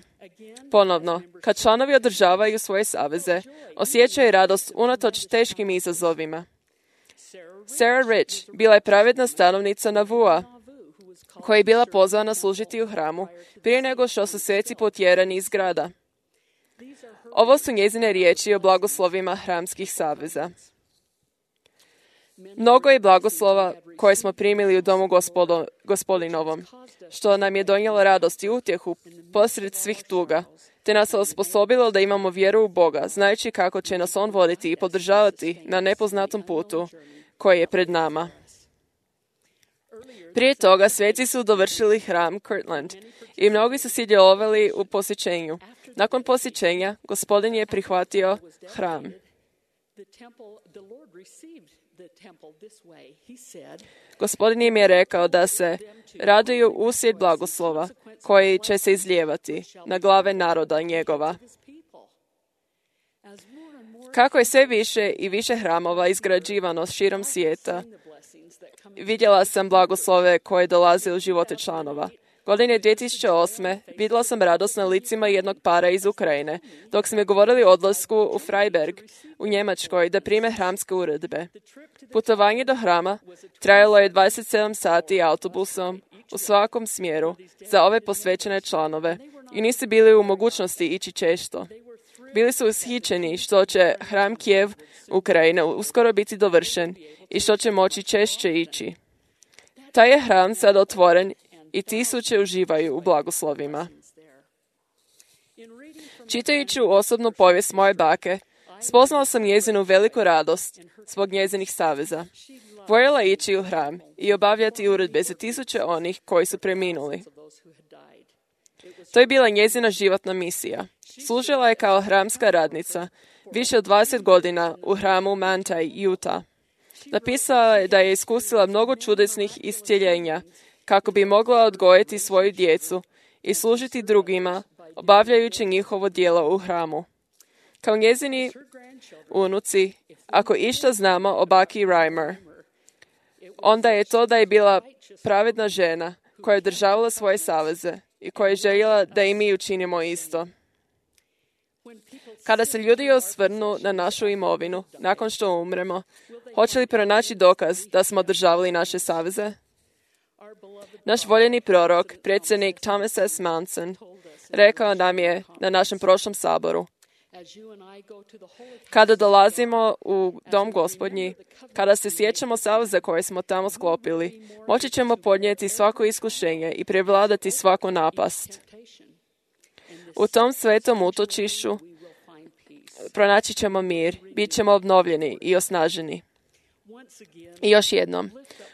Ponovno, kad članovi održavaju svoje saveze, osjećaju radost unatoč teškim izazovima. Sarah Rich bila je pravedna stanovnica Navua, koja je bila pozvana služiti u hramu prije nego što su sveci potjerani iz grada. Ovo su njezine riječi o blagoslovima hramskih saveza. Mnogo je blagoslova koje smo primili u domu Gospodinovom, što nam je donijelo radost i utjehu posred svih tuga, te nas osposobilo da imamo vjeru u Boga, znajući kako će nas On voditi i podržavati na nepoznatom putu koji je pred nama. Prije toga sveci su dovršili hram Kirtland i mnogi su sudjelovali u posjećenju. Nakon posjećenja, Gospodin je prihvatio hram. Gospodin im je rekao da se raduju uslijed blagoslova koji će se izlijevati na glave naroda njegova. Kako je sve više i više hramova izgrađivano širom svijeta, vidjela sam blagoslove koje dolaze u živote članova. Godine 2008. vidjela sam radost na licima jednog para iz Ukrajine, dok smo govorili o odlasku u Freiberg u Njemačkoj da prime hramske uredbe. Putovanje do hrama trajalo je 27 sati autobusom u svakom smjeru za ove posvećene članove i nisu bili u mogućnosti ići često. Bili su ushićeni što će hram Kijev Ukrajine uskoro biti dovršen i što će moći češće ići. Taj je hram sad otvoren i tisuće uživaju u blagoslovima. Čitajući osobnu povijest moje bake, spoznala sam njezinu veliku radost zbog njezinih saveza. Voljela ići u hram i obavljati uredbe za tisuće onih koji su preminuli. To je bila njezina životna misija. Služila je kao hramska radnica više od 20 godina u hramu Manti, Utah. Napisala je da je iskusila mnogo čudesnih iscjeljenja kako bi mogla odgojiti svoju djecu i služiti drugima, obavljajući njihovo djelo u hramu. Kao njezini unuci, ako išta znamo o baki Reimer, onda je to da je bila pravedna žena koja je održavala svoje saveze i koja je željela da i mi učinimo isto. Kada se ljudi osvrnu na našu imovinu nakon što umremo, hoće li pronaći dokaz da smo održavali naše saveze? Naš voljeni prorok, predsjednik Thomas S. Manson, rekao nam je na našem prošlom saboru: kada dolazimo u dom Gospodnji, kada se sjećamo saveza koje smo tamo sklopili, moći ćemo podnijeti svako iskušenje i prevladati svaku napast. U tom svetom utočišću pronaći ćemo mir, bit ćemo obnovljeni i osnaženi. I još jednom,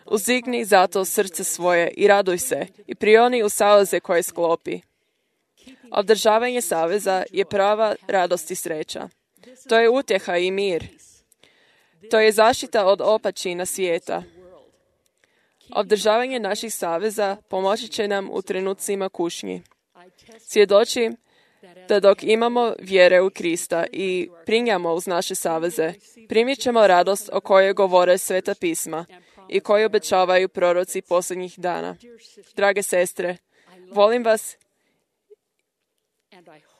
uzdigni zato srce svoje i raduj se i prioni u saveze koje sklopi. Održavanje saveza je prava radost i sreća. To je utjeha i mir. To je zaštita od opačina svijeta. Održavanje naših saveza pomoći će nam u trenucima kušnji. Svjedočim da dok imamo vjere u Krista i prinjamo uz naše saveze, primit ćemo radost o kojoj govore Sveta pisma i koju obećavaju proroci posljednjih dana. Drage sestre, volim vas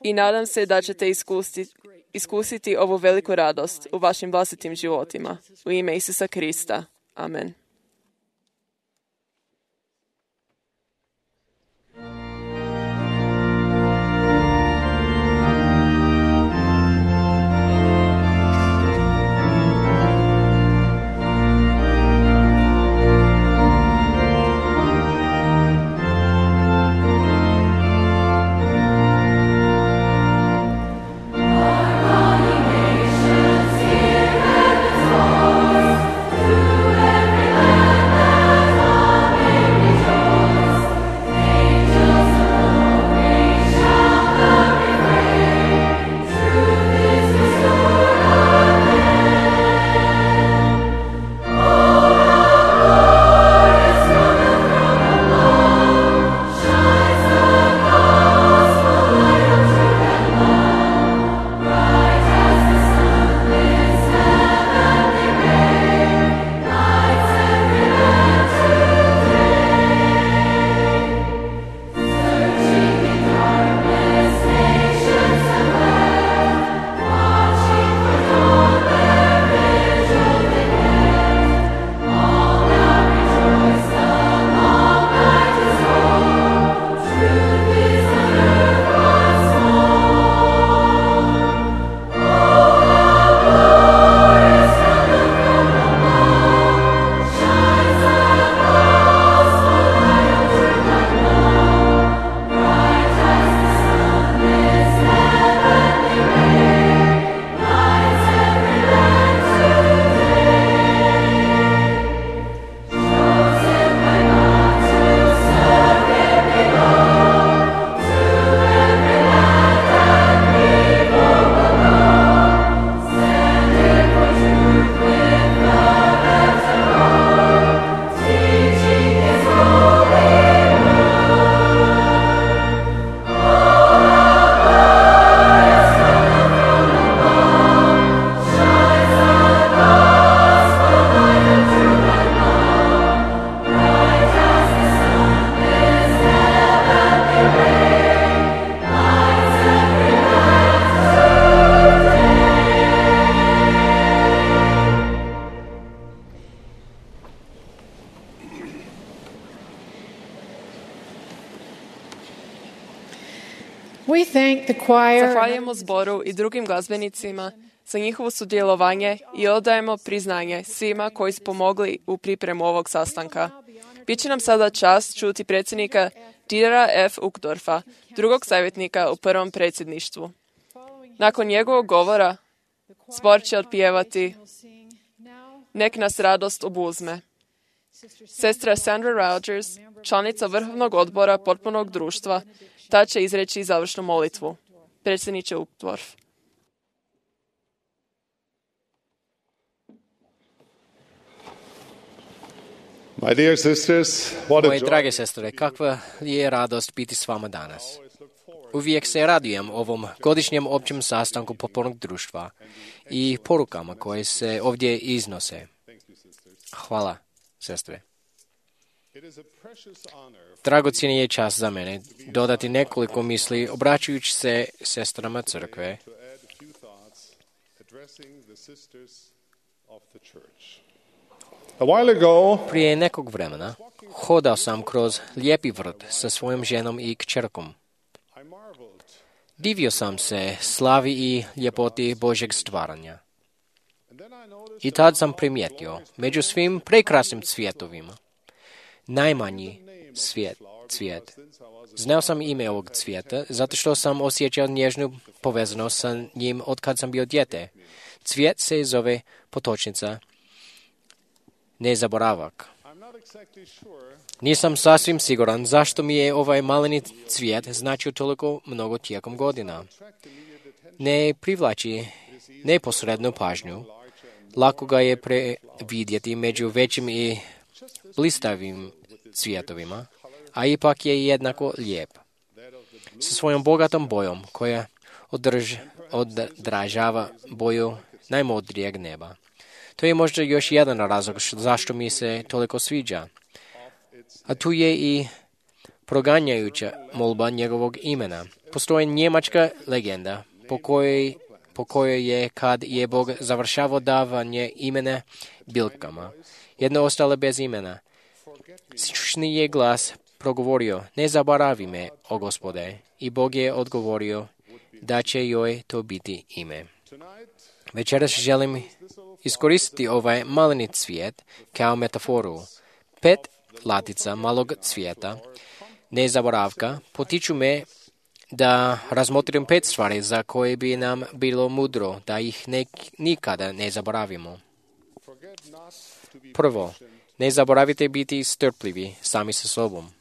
i nadam se da ćete iskusiti ovu veliku radost u vašim vlastitim životima. U ime Isusa Krista. Amen. We thank the choir. Zahvaljujemo zboru i drugim glazbenicima za njihovo sudjelovanje i odajemo priznanje svima koji su pomogli u pripremu ovog sastanka. Biće nam sada čast čuti predsjednika Dietera F. Uchtdorfa, drugog savjetnika u prvom predsjedništvu. Nakon njegovog govora, zbor će otpjevati Nek nas radost obuzme. Sestra Sandra Rogers, članica Vrhovnog odbora potpunog društva, ta će izreći završnu molitvu. Predsjedniče Uchtdorf. Moje drage sestre, kakva je radost biti s vama danas. Uvijek se radujem ovom godišnjem općem sastanku potpornog društva i porukama koje se ovdje iznose. Hvala, sestre. Dragocjeni je čast za mene dodati nekoliko misli obraćajući se sestrama crkve. Prije nekog vremena hodao sam kroz lijepi vrt sa svojom ženom i kćerkom. Divio sam se slavi i ljepoti Božjeg stvaranja. I tad sam primijetio među svim prekrasnim cvjetovima najmanji cvijet. Znao sam ime ovog cvijeta zato što sam osjećao nježnu povezanost sa njim od kad sam bio dijete. Cvijet se zove potočnica, nezaboravak. Nisam sasvim siguran zašto mi je ovaj maleni cvijet značio toliko mnogo tijekom godina. Ne privlači neposrednu pažnju. Lako ga je previdjeti među većim i blistavim cvijetovima, a ipak je jednako lijep. Sa svojom bogatom bojom koja odražava boju najmudrijeg neba. To je možda još jedan razlog zašto mi se toliko sviđa. A tu je i proganjajuća molba njegovog imena. Postoji njemačka legenda po kojoj je kad je Bog završavao davanje imena biljkama, jedno ostale bez imena. Sični je glas progovorio, ne zaboravi me, o Gospode. I Bog je odgovorio da će joj to biti ime. Večeras želim iskoristiti ovaj maleni cvijet kao metaforu. 5 latica malog cvijeta, nezaboravka, potiču me da razmotrim 5 stvari za koje bi nam bilo mudro da ih nikada ne zaboravimo. Prvo, ne zaboravite biti strpljivi sami sa sobom.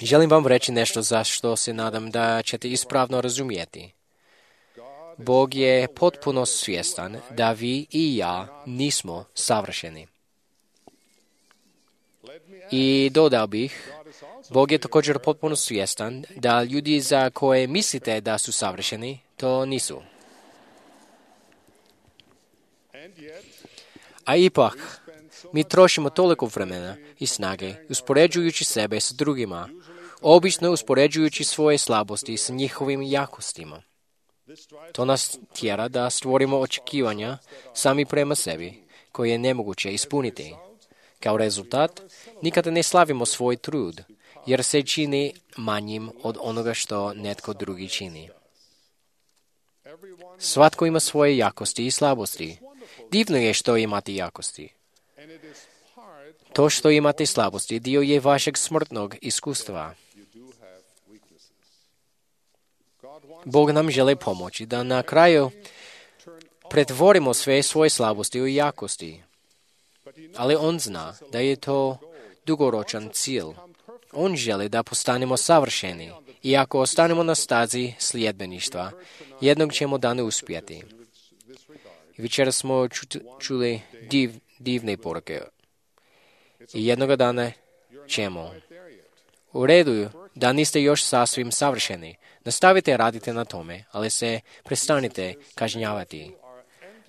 Želim vam reći nešto za što se nadam da ćete ispravno razumijeti. Bog je potpuno svjestan da vi i ja nismo savršeni. I dodao bih, Bog je također potpuno svjestan da ljudi za koje mislite da su savršeni, to nisu. A ipak, mi trošimo toliko vremena i snage uspoređujući sebe s drugima, obično uspoređujući svoje slabosti s njihovim jakostima. To nas tjera da stvorimo očekivanja sami prema sebi, koje je nemoguće ispuniti. Kao rezultat, nikada ne slavimo svoj trud, jer se čini manjim od onoga što netko drugi čini. Svatko ima svoje jakosti i slabosti. Divno je što imate jakosti. To što imate slabosti dio je vašeg smrtnog iskustva. Bog nam želi pomoći da na kraju pretvorimo sve svoje slabosti u jakosti. Ali on zna da je to dugoročan cilj. On želi da postanemo savršeni i ako ostanemo na stazi sljedbeništva, jednog ćemo dana uspjeti. Večera smo čuli divne poruke. I jednoga dana ćemo. U redu da niste još sasvim savršeni. Nastavite raditi na tome, ali se prestanite kažnjavati.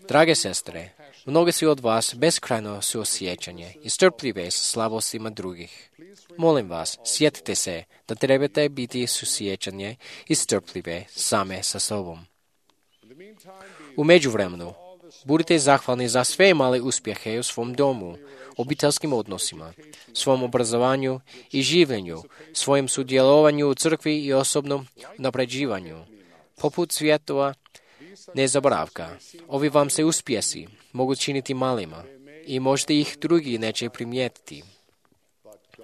Drage sestre, mnogi su od vas beskrajno suosjećanje i strpljive sa slabostima drugih. Molim vas, sjetite se da trebate biti suosjećanje i strpljive same sa sobom. U međuvremenu, budite zahvalni za sve male uspjehe u svom domu, obiteljskim odnosima, svom obrazovanju i življenju, svojim sudjelovanju u crkvi i osobnom napređivanju. Poput svjetova nezaboravka, ovi vam se uspjesi mogu činiti malima i možda ih drugi neće primijetiti,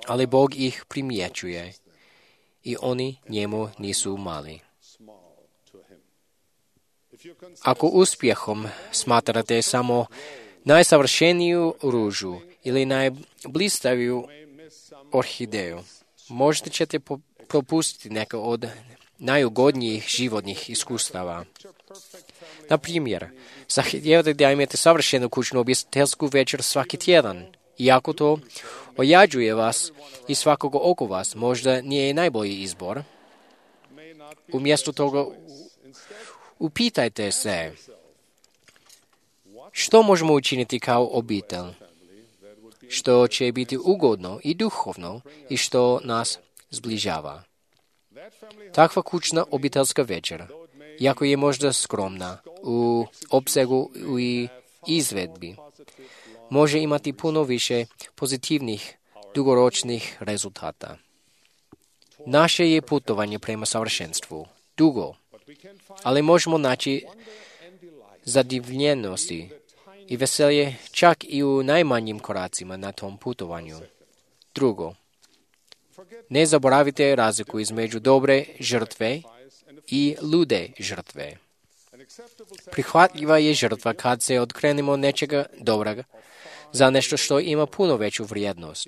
ali Bog ih primjećuje i oni njemu nisu mali. Ako uspjehom smatrate samo najsavršeniju ružu ili najblistaviju orhideju, možda ćete propustiti neka od najugodnijih životnih iskustava. Na primjer, zahtijevate da imate savršenu kućnu obiteljsku večer svaki tjedan. Iako to ojađuje vas i svakog oko vas, možda nije najbolji izbor. Umjesto toga upitajte se, što možemo učiniti kao obitelj, što će biti ugodno i duhovno i što nas zbližava. Takva kućna obiteljska večer, iako je možda skromna u opsegu i izvedbi, može imati puno više pozitivnih, dugoročnih rezultata. Naše je putovanje prema savršenstvu dugo, ali možemo naći zadivljenosti i veselje čak i u najmanjim koracima na tom putovanju. Drugo, ne zaboravite razliku između dobre žrtve i lude žrtve. Prihvatljiva je žrtva kad se odkrenemo nečega dobroga za nešto što ima puno veću vrijednost.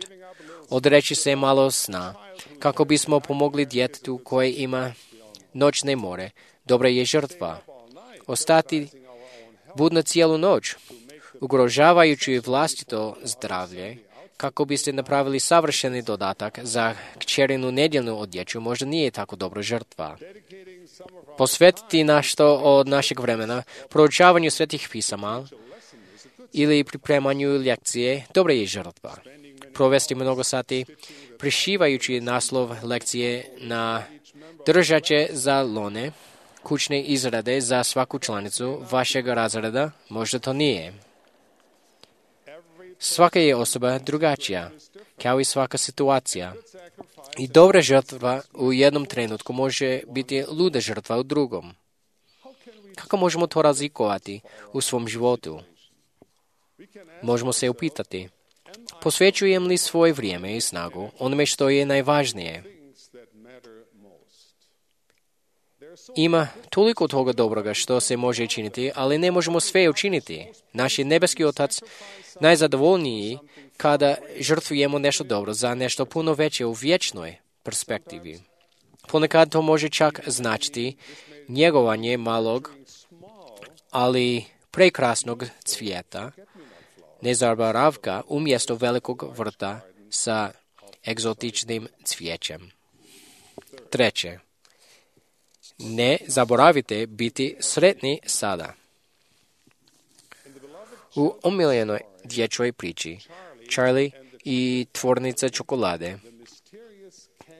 Odreći se malo sna kako bismo pomogli djetetu koje ima noćne more. Dobra je žrtva. Ostati budno cijelu noć, ugrožavajući vlastito zdravlje, kako biste napravili savršeni dodatak za kćerinu nedjeljnu odjeću, možda nije tako dobra žrtva. posvetiti nešto od našeg vremena proučavanju svetih pisama ili pripremanju lekcije, dobra je žrtva. Provesti mnogo sati prišivajući naslov lekcije na držače za lone, kućne izrade za svaku članicu vašeg razreda, možda to nije. Svaka je osoba drugačija, kao i svaka situacija. I dobra žrtva u jednom trenutku može biti luda žrtva u drugom. Kako možemo to razlikovati u svom životu? Možemo se upitati, posvećujem li svoje vrijeme i snagu onome što je najvažnije? Ima toliko toga dobroga što se može činiti, ali ne možemo sve učiniti. Naš je nebeski Otac najzadovoljniji kada žrtvujemo nešto dobro za nešto puno veće u vječnoj perspektivi. Ponekad to može čak značiti njegovanje malog, ali prekrasnog cvijeta, nezaboravka umjesto velikog vrta sa egzotičnim cvijećem. Treće, ne zaboravite biti sretni sada. U omiljenoj dječjoj priči Charlie i tvornica čokolade,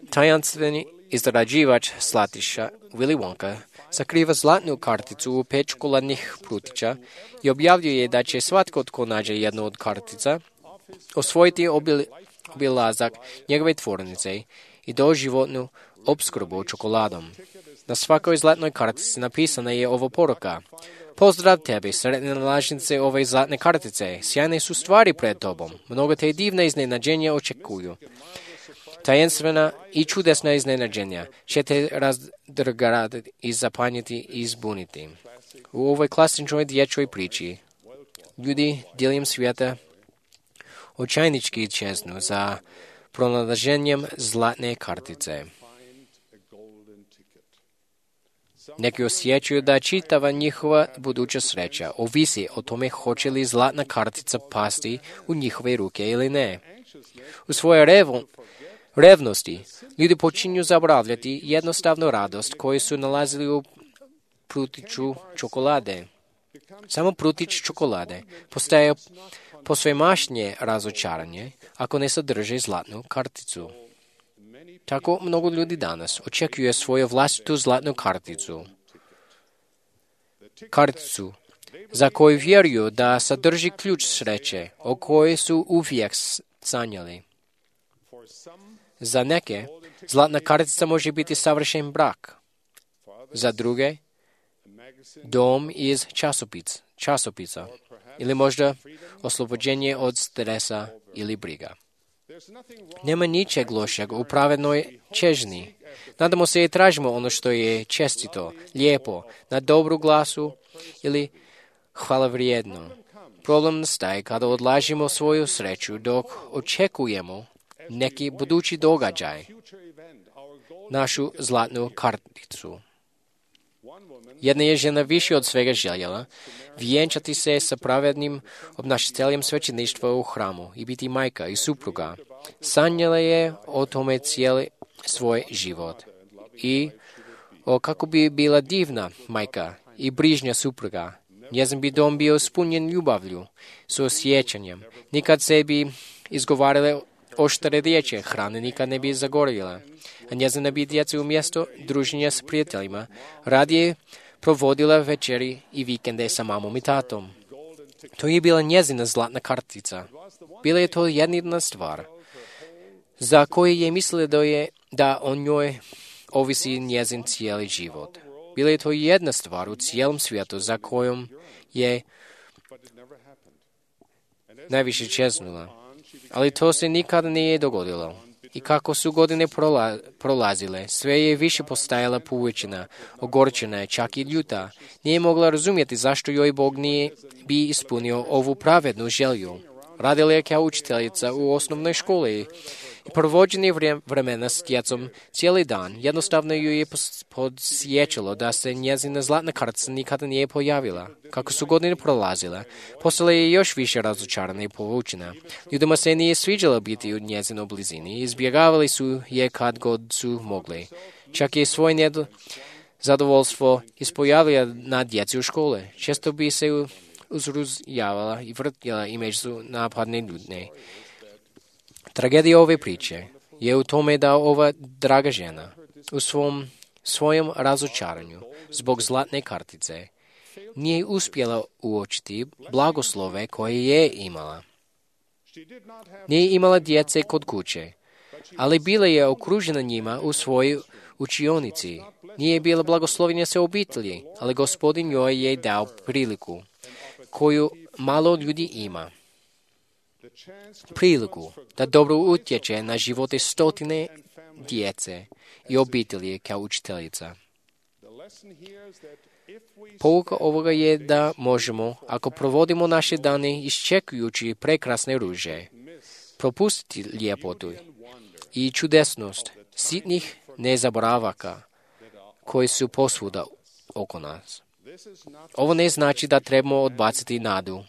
tajanstveni izrađivač slatkiša Willy Wonka sakriva zlatnu karticu u 5 čokoladnih prutića i objavljuje da će svatko tko nađe jednu od kartica osvojiti obilazak njegove tvornice i doživotnu opskrbu čokoladom. Na svakoj zlatnoj kartici napisana je ovo poruka: pozdrav tebi, sretne nalažnice ove zlatne kartice, sjajne su stvari pred tobom, mnogo te divne iznenađenja očekuju. Tajenstvena i čudesna iznenađenja će te razdrgati i zapanjiti i zbuniti. U ovoj klasičnoj dječjoj priči ljudi diljem svijeta očajnički čeznu za pronalaženjem zlatne kartice. Neki osjećaju da čitava njihova buduća sreća ovisi o tome hoće li zlatna kartica pasti u njihove ruke ili ne. U svojoj revnosti ljudi počinju zaboravljati jednostavnu radost koju su nalazili u prutiću čokolade. Samo prutić čokolade postaje posvemašnje razočaranje ako ne sadrži zlatnu karticu. Tako mnogo ljudi danas očekuje svoju vlastitu zlatnu karticu. Karticu za koju vjeruju da sadrži ključ sreće o kojoj su uvijek sanjali. Za neke, zlatna kartica može biti savršen brak. Za druge, dom iz časopisa ili možda oslobođenje od stresa ili briga. Nema ničeg lošeg u pravednoj čežnji. Nadamo se i tražimo ono što je čestito, lijepo, na dobru glasu ili hvalevrijedno. Problem nastaje kada odlažimo svoju sreću dok očekujemo neki budući događaj, našu zlatnu karticu. Jedna je žena više od svega željela vjenčati se sa pravednim obnašateljem svećeništva u hramu i biti majka i supruga. Sanjala je o tome cijeli svoj život i o kako bi bila divna majka i brižnja supruga. Njezin bi dom bio ispunjen ljubavlju, suosjećanjem. Nikad se bi izgovarale oštre riječi, hrane nikad ne bi zagorjela. A njezina bi djeca umjesto druženja s prijateljima radije provodila večeri i vikende sa mamom i tatom. To je bila njezina zlatna kartica. Bila je to jedna stvar za koju je mislila da o njoj ovisi njezin cijeli život. Bila je to jedna stvar u cijelom svijetu za kojom je najviše čeznula. Ali to se nikada nije dogodilo. I kako su godine prolazile, sve je više postajala poučena, ogorčena, čak i ljuta. Nije mogla razumjeti zašto joj Bog nije bi ispunio ovu pravednu želju. Radila je kao učiteljica u osnovnoj školi i provođenje vremena s djecom cijeli dan. Jednostavno ju je podsjećalo da se njezina zlatna kartica nikada nije pojavila. Kako su godine prolazile, postala je još više razočarana i povučena. Ljudima se nije sviđalo biti u njezinoj blizini i izbjegavali su je kad god su mogli. Čak je svoj Задоволство изпоявля на дjecu u škole. Često bi se uzrujavala i vrtjela i među napadne ljudne. Tragedija ove priče je u tome da ova draga žena u svojom razočaranju zbog zlatne kartice nije uspjela uočiti blagoslove koje je imala. Nije imala djece kod kuće, ali bila je okružena njima u svojoj učionici. Nije bila blagoslovljenja se obitelji, ali Gospodin joj je dao priliku koju malo ljudi ima. Priliku da dobro utječe na živote stotine djece i obitelji kao učiteljica. Pouka ovoga je da možemo, ako provodimo naše dane iščekujući prekrasne ruže, propustiti ljepotu i čudesnost sitnih nezaboravaka koji su posvuda oko nas. Ovo ne znači da trebamo odbaciti nadu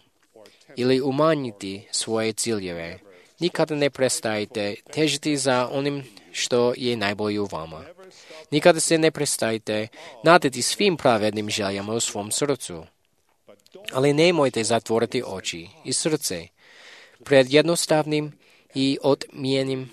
ili umanjiti svoje ciljeve. Nikada ne prestajte težiti za onim što je najbolje u vama. Nikada se ne prestajte nadati svim pravednim željama u svom srcu. Ali nemojte zatvoriti oči i srce pred jednostavnim i odmijenim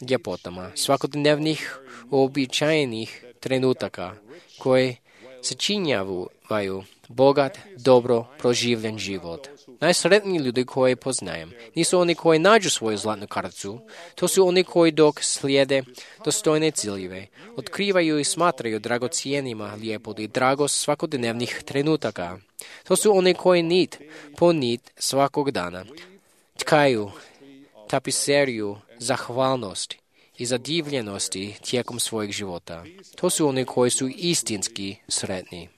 ljepotama svakodnevnih uobičajenih trenutaka koje sačinjavaju bogat, dobro proživljen život. Najsretniji ljudi koje poznajem nisu oni koji nađu svoju zlatnu karticu, to su oni koji dok slijede dostojne ciljeve, otkrivaju i smatraju dragocijenima ljepotu i dragost svakodnevnih trenutaka. To su oni koji nit po nit svakog dana tkaju tapiseriju zahvalnosti i zadivljenosti tijekom svojeg života. To su oni koji su istinski sretni.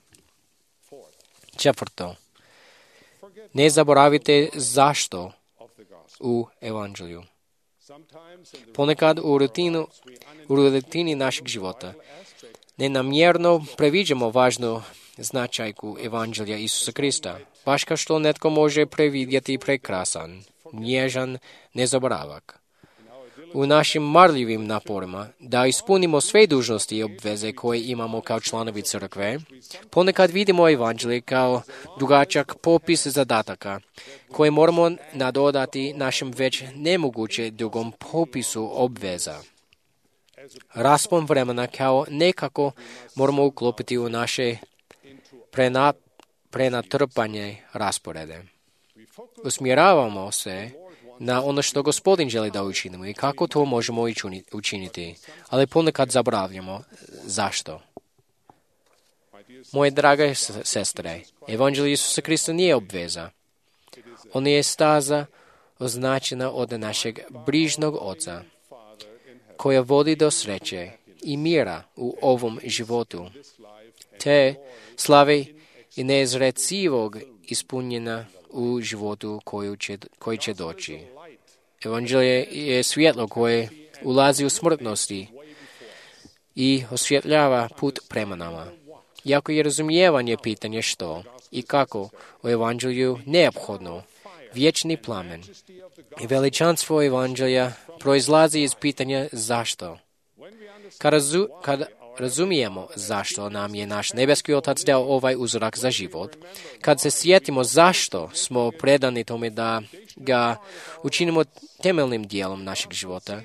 Četvrto, ne zaboravite zašto u evanđelju. Ponekad u rutini našeg života nenamjerno previđamo važnu značajku evanđelja Isusa Krista, baš kao što netko može previdjeti prekrasan, nježan nezaboravak. U našim marljivim naporima da ispunimo sve dužnosti i obveze koje imamo kao članovi crkve, ponekad vidimo evanđelje kao dugačak popis zadataka koje moramo nadodati našem već nemoguće dugom popisu obveza. Raspon vremena kao nekako moramo uklopiti u naše prenatrpanje rasporede. Usmjeravamo se na ono što Gospodin želi da učinimo i kako to možemo učiniti, ali ponekad zaboravljamo zašto. Moje drage sestre, evanđelje Isusa Krista nije obveza. On je staza označena od našeg brižnog Oca, koja vodi do sreće i mira u ovom životu, te slave i neizrecivog ispunjena u životu koji će doći. Evanđelje je svjetlo koje ulazi u smrtnosti i osvjetljava put prema nama. Iako je razumijevanje pitanje što i kako u evanđelju neophodno, vječni plamen i veličanstvo evanđelja proizlazi iz pitanja zašto. Kad razumijemo zašto nam je naš nebeski Otac dao ovaj uzorak za život, kad se sjetimo zašto smo predani tome da ga učinimo temeljnim dijelom našeg života,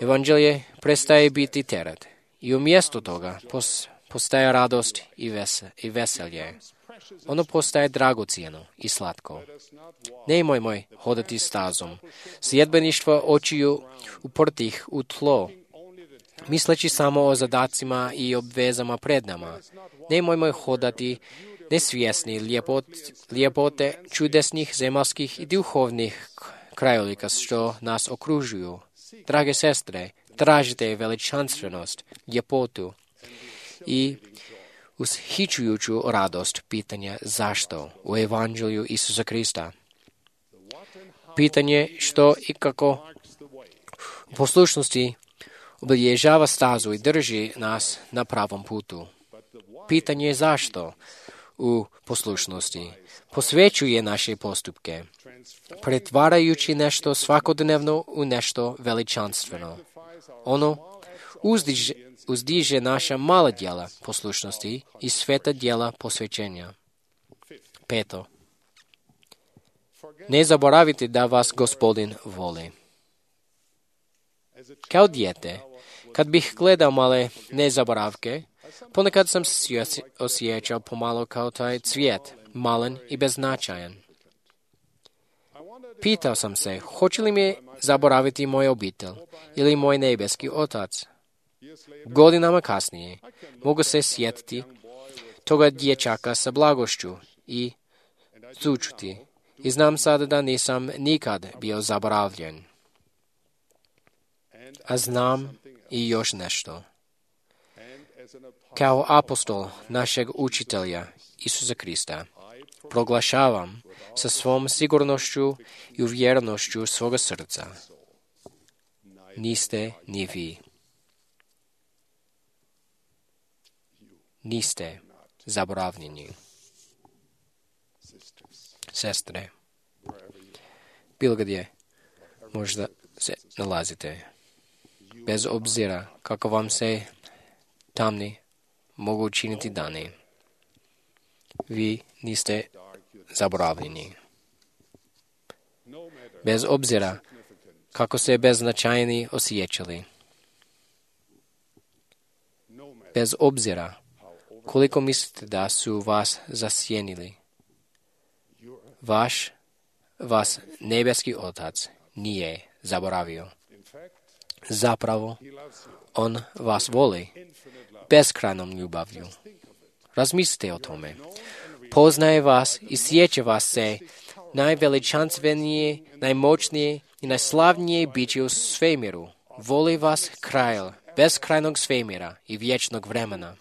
evanđelje prestaje biti teret i umjesto toga postaje radost i veselje. Ono postaje dragocjeno i slatko. Nemojmo hodati stazom sljedbeništva očiju uprtih u tlo, misleći samo o zadacima i obvezama pred nama. Nemojmo hodati nesvjesni ljepote čudesnih zemaljskih i duhovnih krajolika što nas okružuju. Drage sestre, tražite veličanstvenost, ljepotu i ushićujuću radost pitanja zašto u evanđelju Isusa Krista. Pitanje što i kako u poslušnosti obilježava stazu i drži nas na pravom putu. Pitanje je zašto u poslušnosti posvećuje naše postupke, pretvarajući nešto svakodnevno u nešto veličanstveno. Ono uzdiže naša mala djela poslušnosti i sveta djela posvećenja. 5. Ne zaboravite da vas Gospodin voli. Kao dijete, kad bih gledao male nezaboravke, ponekad sam se osjećao pomalo kao taj cvijet, malen i beznačajan. Pitao sam se, hoće li me zaboraviti moj obitelj ili moj nebeski otac? Godinama kasnije mogu se sjetiti toga dječaka sa blagošću i sućuti i znam sada da nisam nikad bio zaboravljen. A znam i još nešto. Kao apostol našeg učitelja Isusa Krista proglašavam sa svom sigurnošću i uvjerenošću svoga srca. Niste ni vi. Niste zaboravljeni. Sestre, bilo gdje možda se nalazite, bez obzira kako vam se tamni mogu učiniti dani, vi niste zaboravljeni. Bez obzira kako se beznačajni osjećali, bez obzira koliko mislite da su vas zasjenili, vas nebeski Otac nije zaboravio. Zapravo, on vas voli beskrajnom ljubavlju. Razmislite o tome. Poznaje vas i sjeća vas se najveličanstvenije, najmoćnije i najslavnije biće u svemiru. Voli vas kralj beskrajnog svemira i vječnog vremena.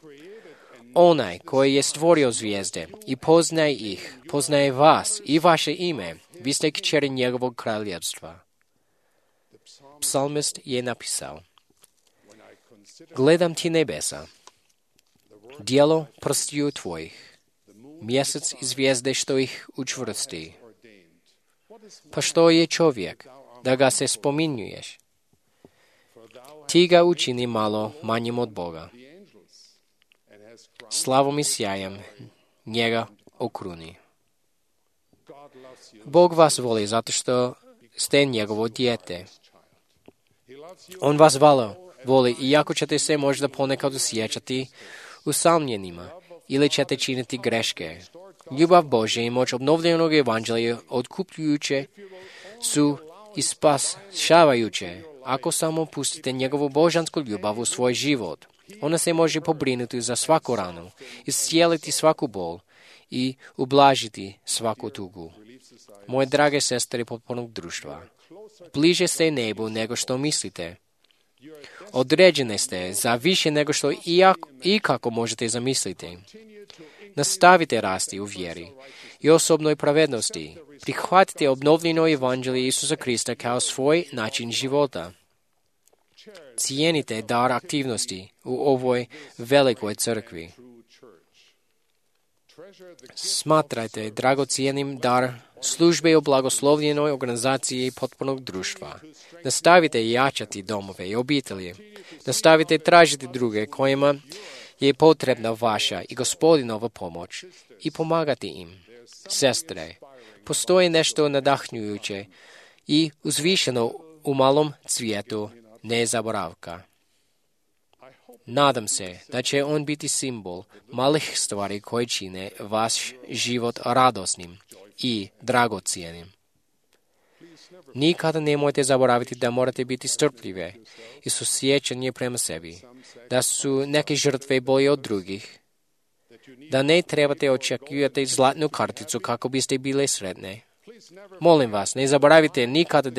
Onaj koji je stvorio zvijezde i poznaje ih, poznaje vas i vaše ime. Vi ste kćeri njegovog kraljevstva. Psalmist je napisao: Gledam ti nebesa, djelo prstiju tvojih, mjesec i zvijezde što ih učvrsti. Pa što je čovjek, da ga se spominjuješ? Ti ga učini malo manjim od Boga. Slavom i sjajem njega okruni. Bog vas voli zato što ste njegovo dijete. On vas voli iako ćete se možda ponekad osjećati usamljenima ili ćete činiti greške. Ljubav Božja i moć obnovljenog evanđelja otkupljujuće su i spašavajuće ako samo pustite njegovu božansku ljubav u svoj život. Ona se može pobrinuti za svaku ranu, iscijeliti svaku bol i ublažiti svaku tugu. Moje drage sestre potpornog društva, bliže ste nebu nego što mislite. Određene ste za više nego što i kako možete zamisliti. Nastavite rasti u vjeri i osobnoj pravednosti. Prihvatite obnovljeno evanđelje Isusa Krista kao svoj način života. Cijenite dar aktivnosti u ovoj velikoj crkvi. Smatrajte dragocijenim dar službe u blagoslovljenoj organizaciji potpornog društva. Nastavite jačati domove i obitelji. Nastavite tražiti druge kojima je potrebna vaša i Gospodinova pomoć i pomagati im. Sestre, postoji nešto nadahnjujuće i uzvišeno u malom cvijetu nezaboravka. Nadam se da će on biti simbol malih stvari koje čine vaš život radosnim i dragocijenim. Nikada nemojte zaboraviti da morate biti strpljive i susjećanje prema sebi, da su neke žrtve bolje od drugih, da ne trebate očekivati zlatnu karticu kako biste bile sretne. Molim vas, ne zaboravite nikada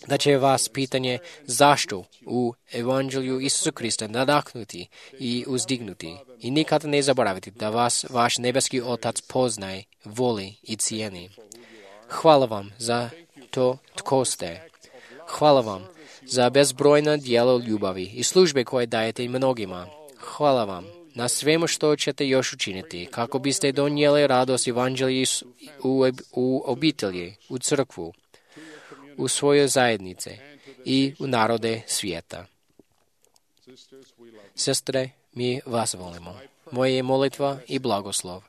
da će vas pitanje zašto u Evanđelju Isusa Krista nadahnuti i uzdignuti. I nikada ne zaboravite da vas vaš nebeski Otac poznaje, voli i cijeni. Hvala vam za to tko ste. Hvala vam za bezbrojna djela ljubavi i službe koje dajete mnogima. Hvala vam na svemu što ćete još učiniti kako biste donijeli radost Evanđelja u obitelji, u crkvu, u svoje zajednice i u narode svijeta. Sestre, mi vas volimo. Moje je molitva i blagoslov.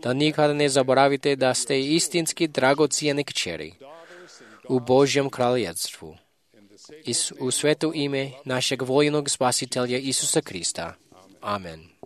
Da nikada ne zaboravite da ste istinski dragocijene kćeri u Božjem kraljevstvu. U sveto ime našeg voljenog spasitelja Isusa Krista. Amen.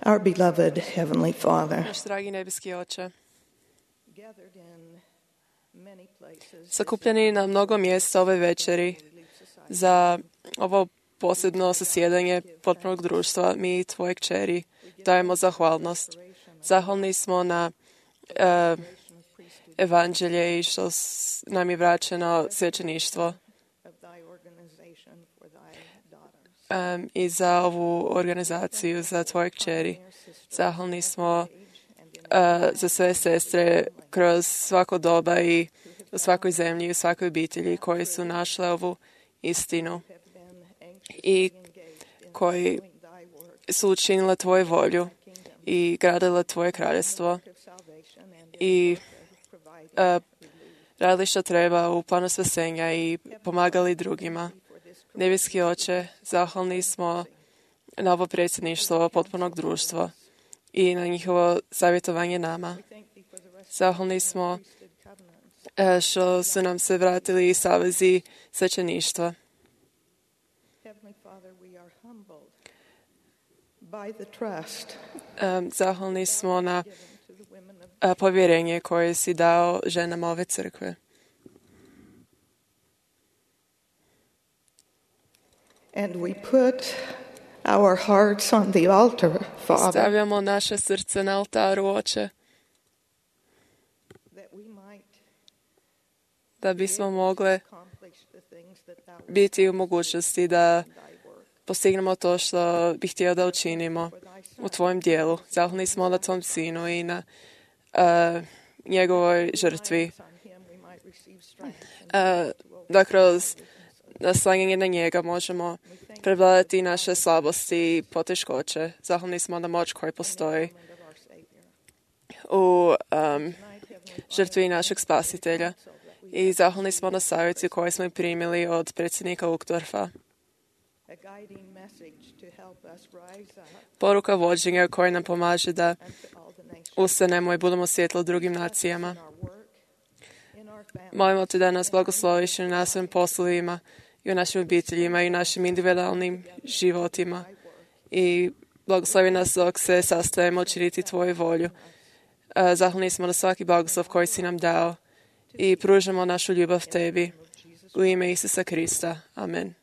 Our beloved Heavenly Father, Naš dragi nebeski Oče, sakupljeni na mnogo mjesta ove večeri za ovo posebno zasjedanje potpunog društva, mi, tvoje kćeri, dajemo zahvalnost. Zahvalni smo na evanđelje i što nam je vraćeno svećeništvo i za ovu organizaciju, za tvoje kćeri. Zahvalni smo za sve sestre kroz svako doba i u svakoj zemlji i u svakoj obitelji koji su našle ovu istinu i koji su učinile tvoju volju i gradile tvoje kraljevstvo i radili što treba u planu spasenja i pomagali drugima. Nebeski Oče, zahvalni smo na ovo predsjedništvo potpunog društva i na njihovo savjetovanje nama. Zahvalni smo što su nam se vratili savezi svećeništva. by the trust Zahvalni smo na povjerenje koje si dao ženama ove crkve. and we put our hearts on the altar, Father, Stavljamo naše srce na oltaru, Oče, that we might da bismo mogle accomplish the things that thou biti u mogućnosti da postignemo to što bih htio da učinimo u Tvojem dijelu. Zahvalni smo na Tvom Sinu i na njegovoj žrtvi. on him we might receive strength. Da kroz naslanjanje na njega možemo prevladati naše slabosti i poteškoće. Zahvalni smo na moć koja postoji u žrtvi našeg spasitelja. I zahvalni smo na savjeti koje smo primili od predsjednika Uchtdorfa. A guiding message to help us rise up Poruka vođenja koja nam pomaže da to all the nations ustanemo i budemo svjetlo drugim nacijama. in our work, in our family, Molimo te da nas blagosloviš i na svim poslovima i u našim obiteljima i u našim individualnim životima. I blagoslovi nas dok se sastajemo činiti Tvoju volju. Zahvalni smo na svaki blagoslov koji si nam dao i pružamo našu ljubav Tebi. U ime Isusa Krista. Amen.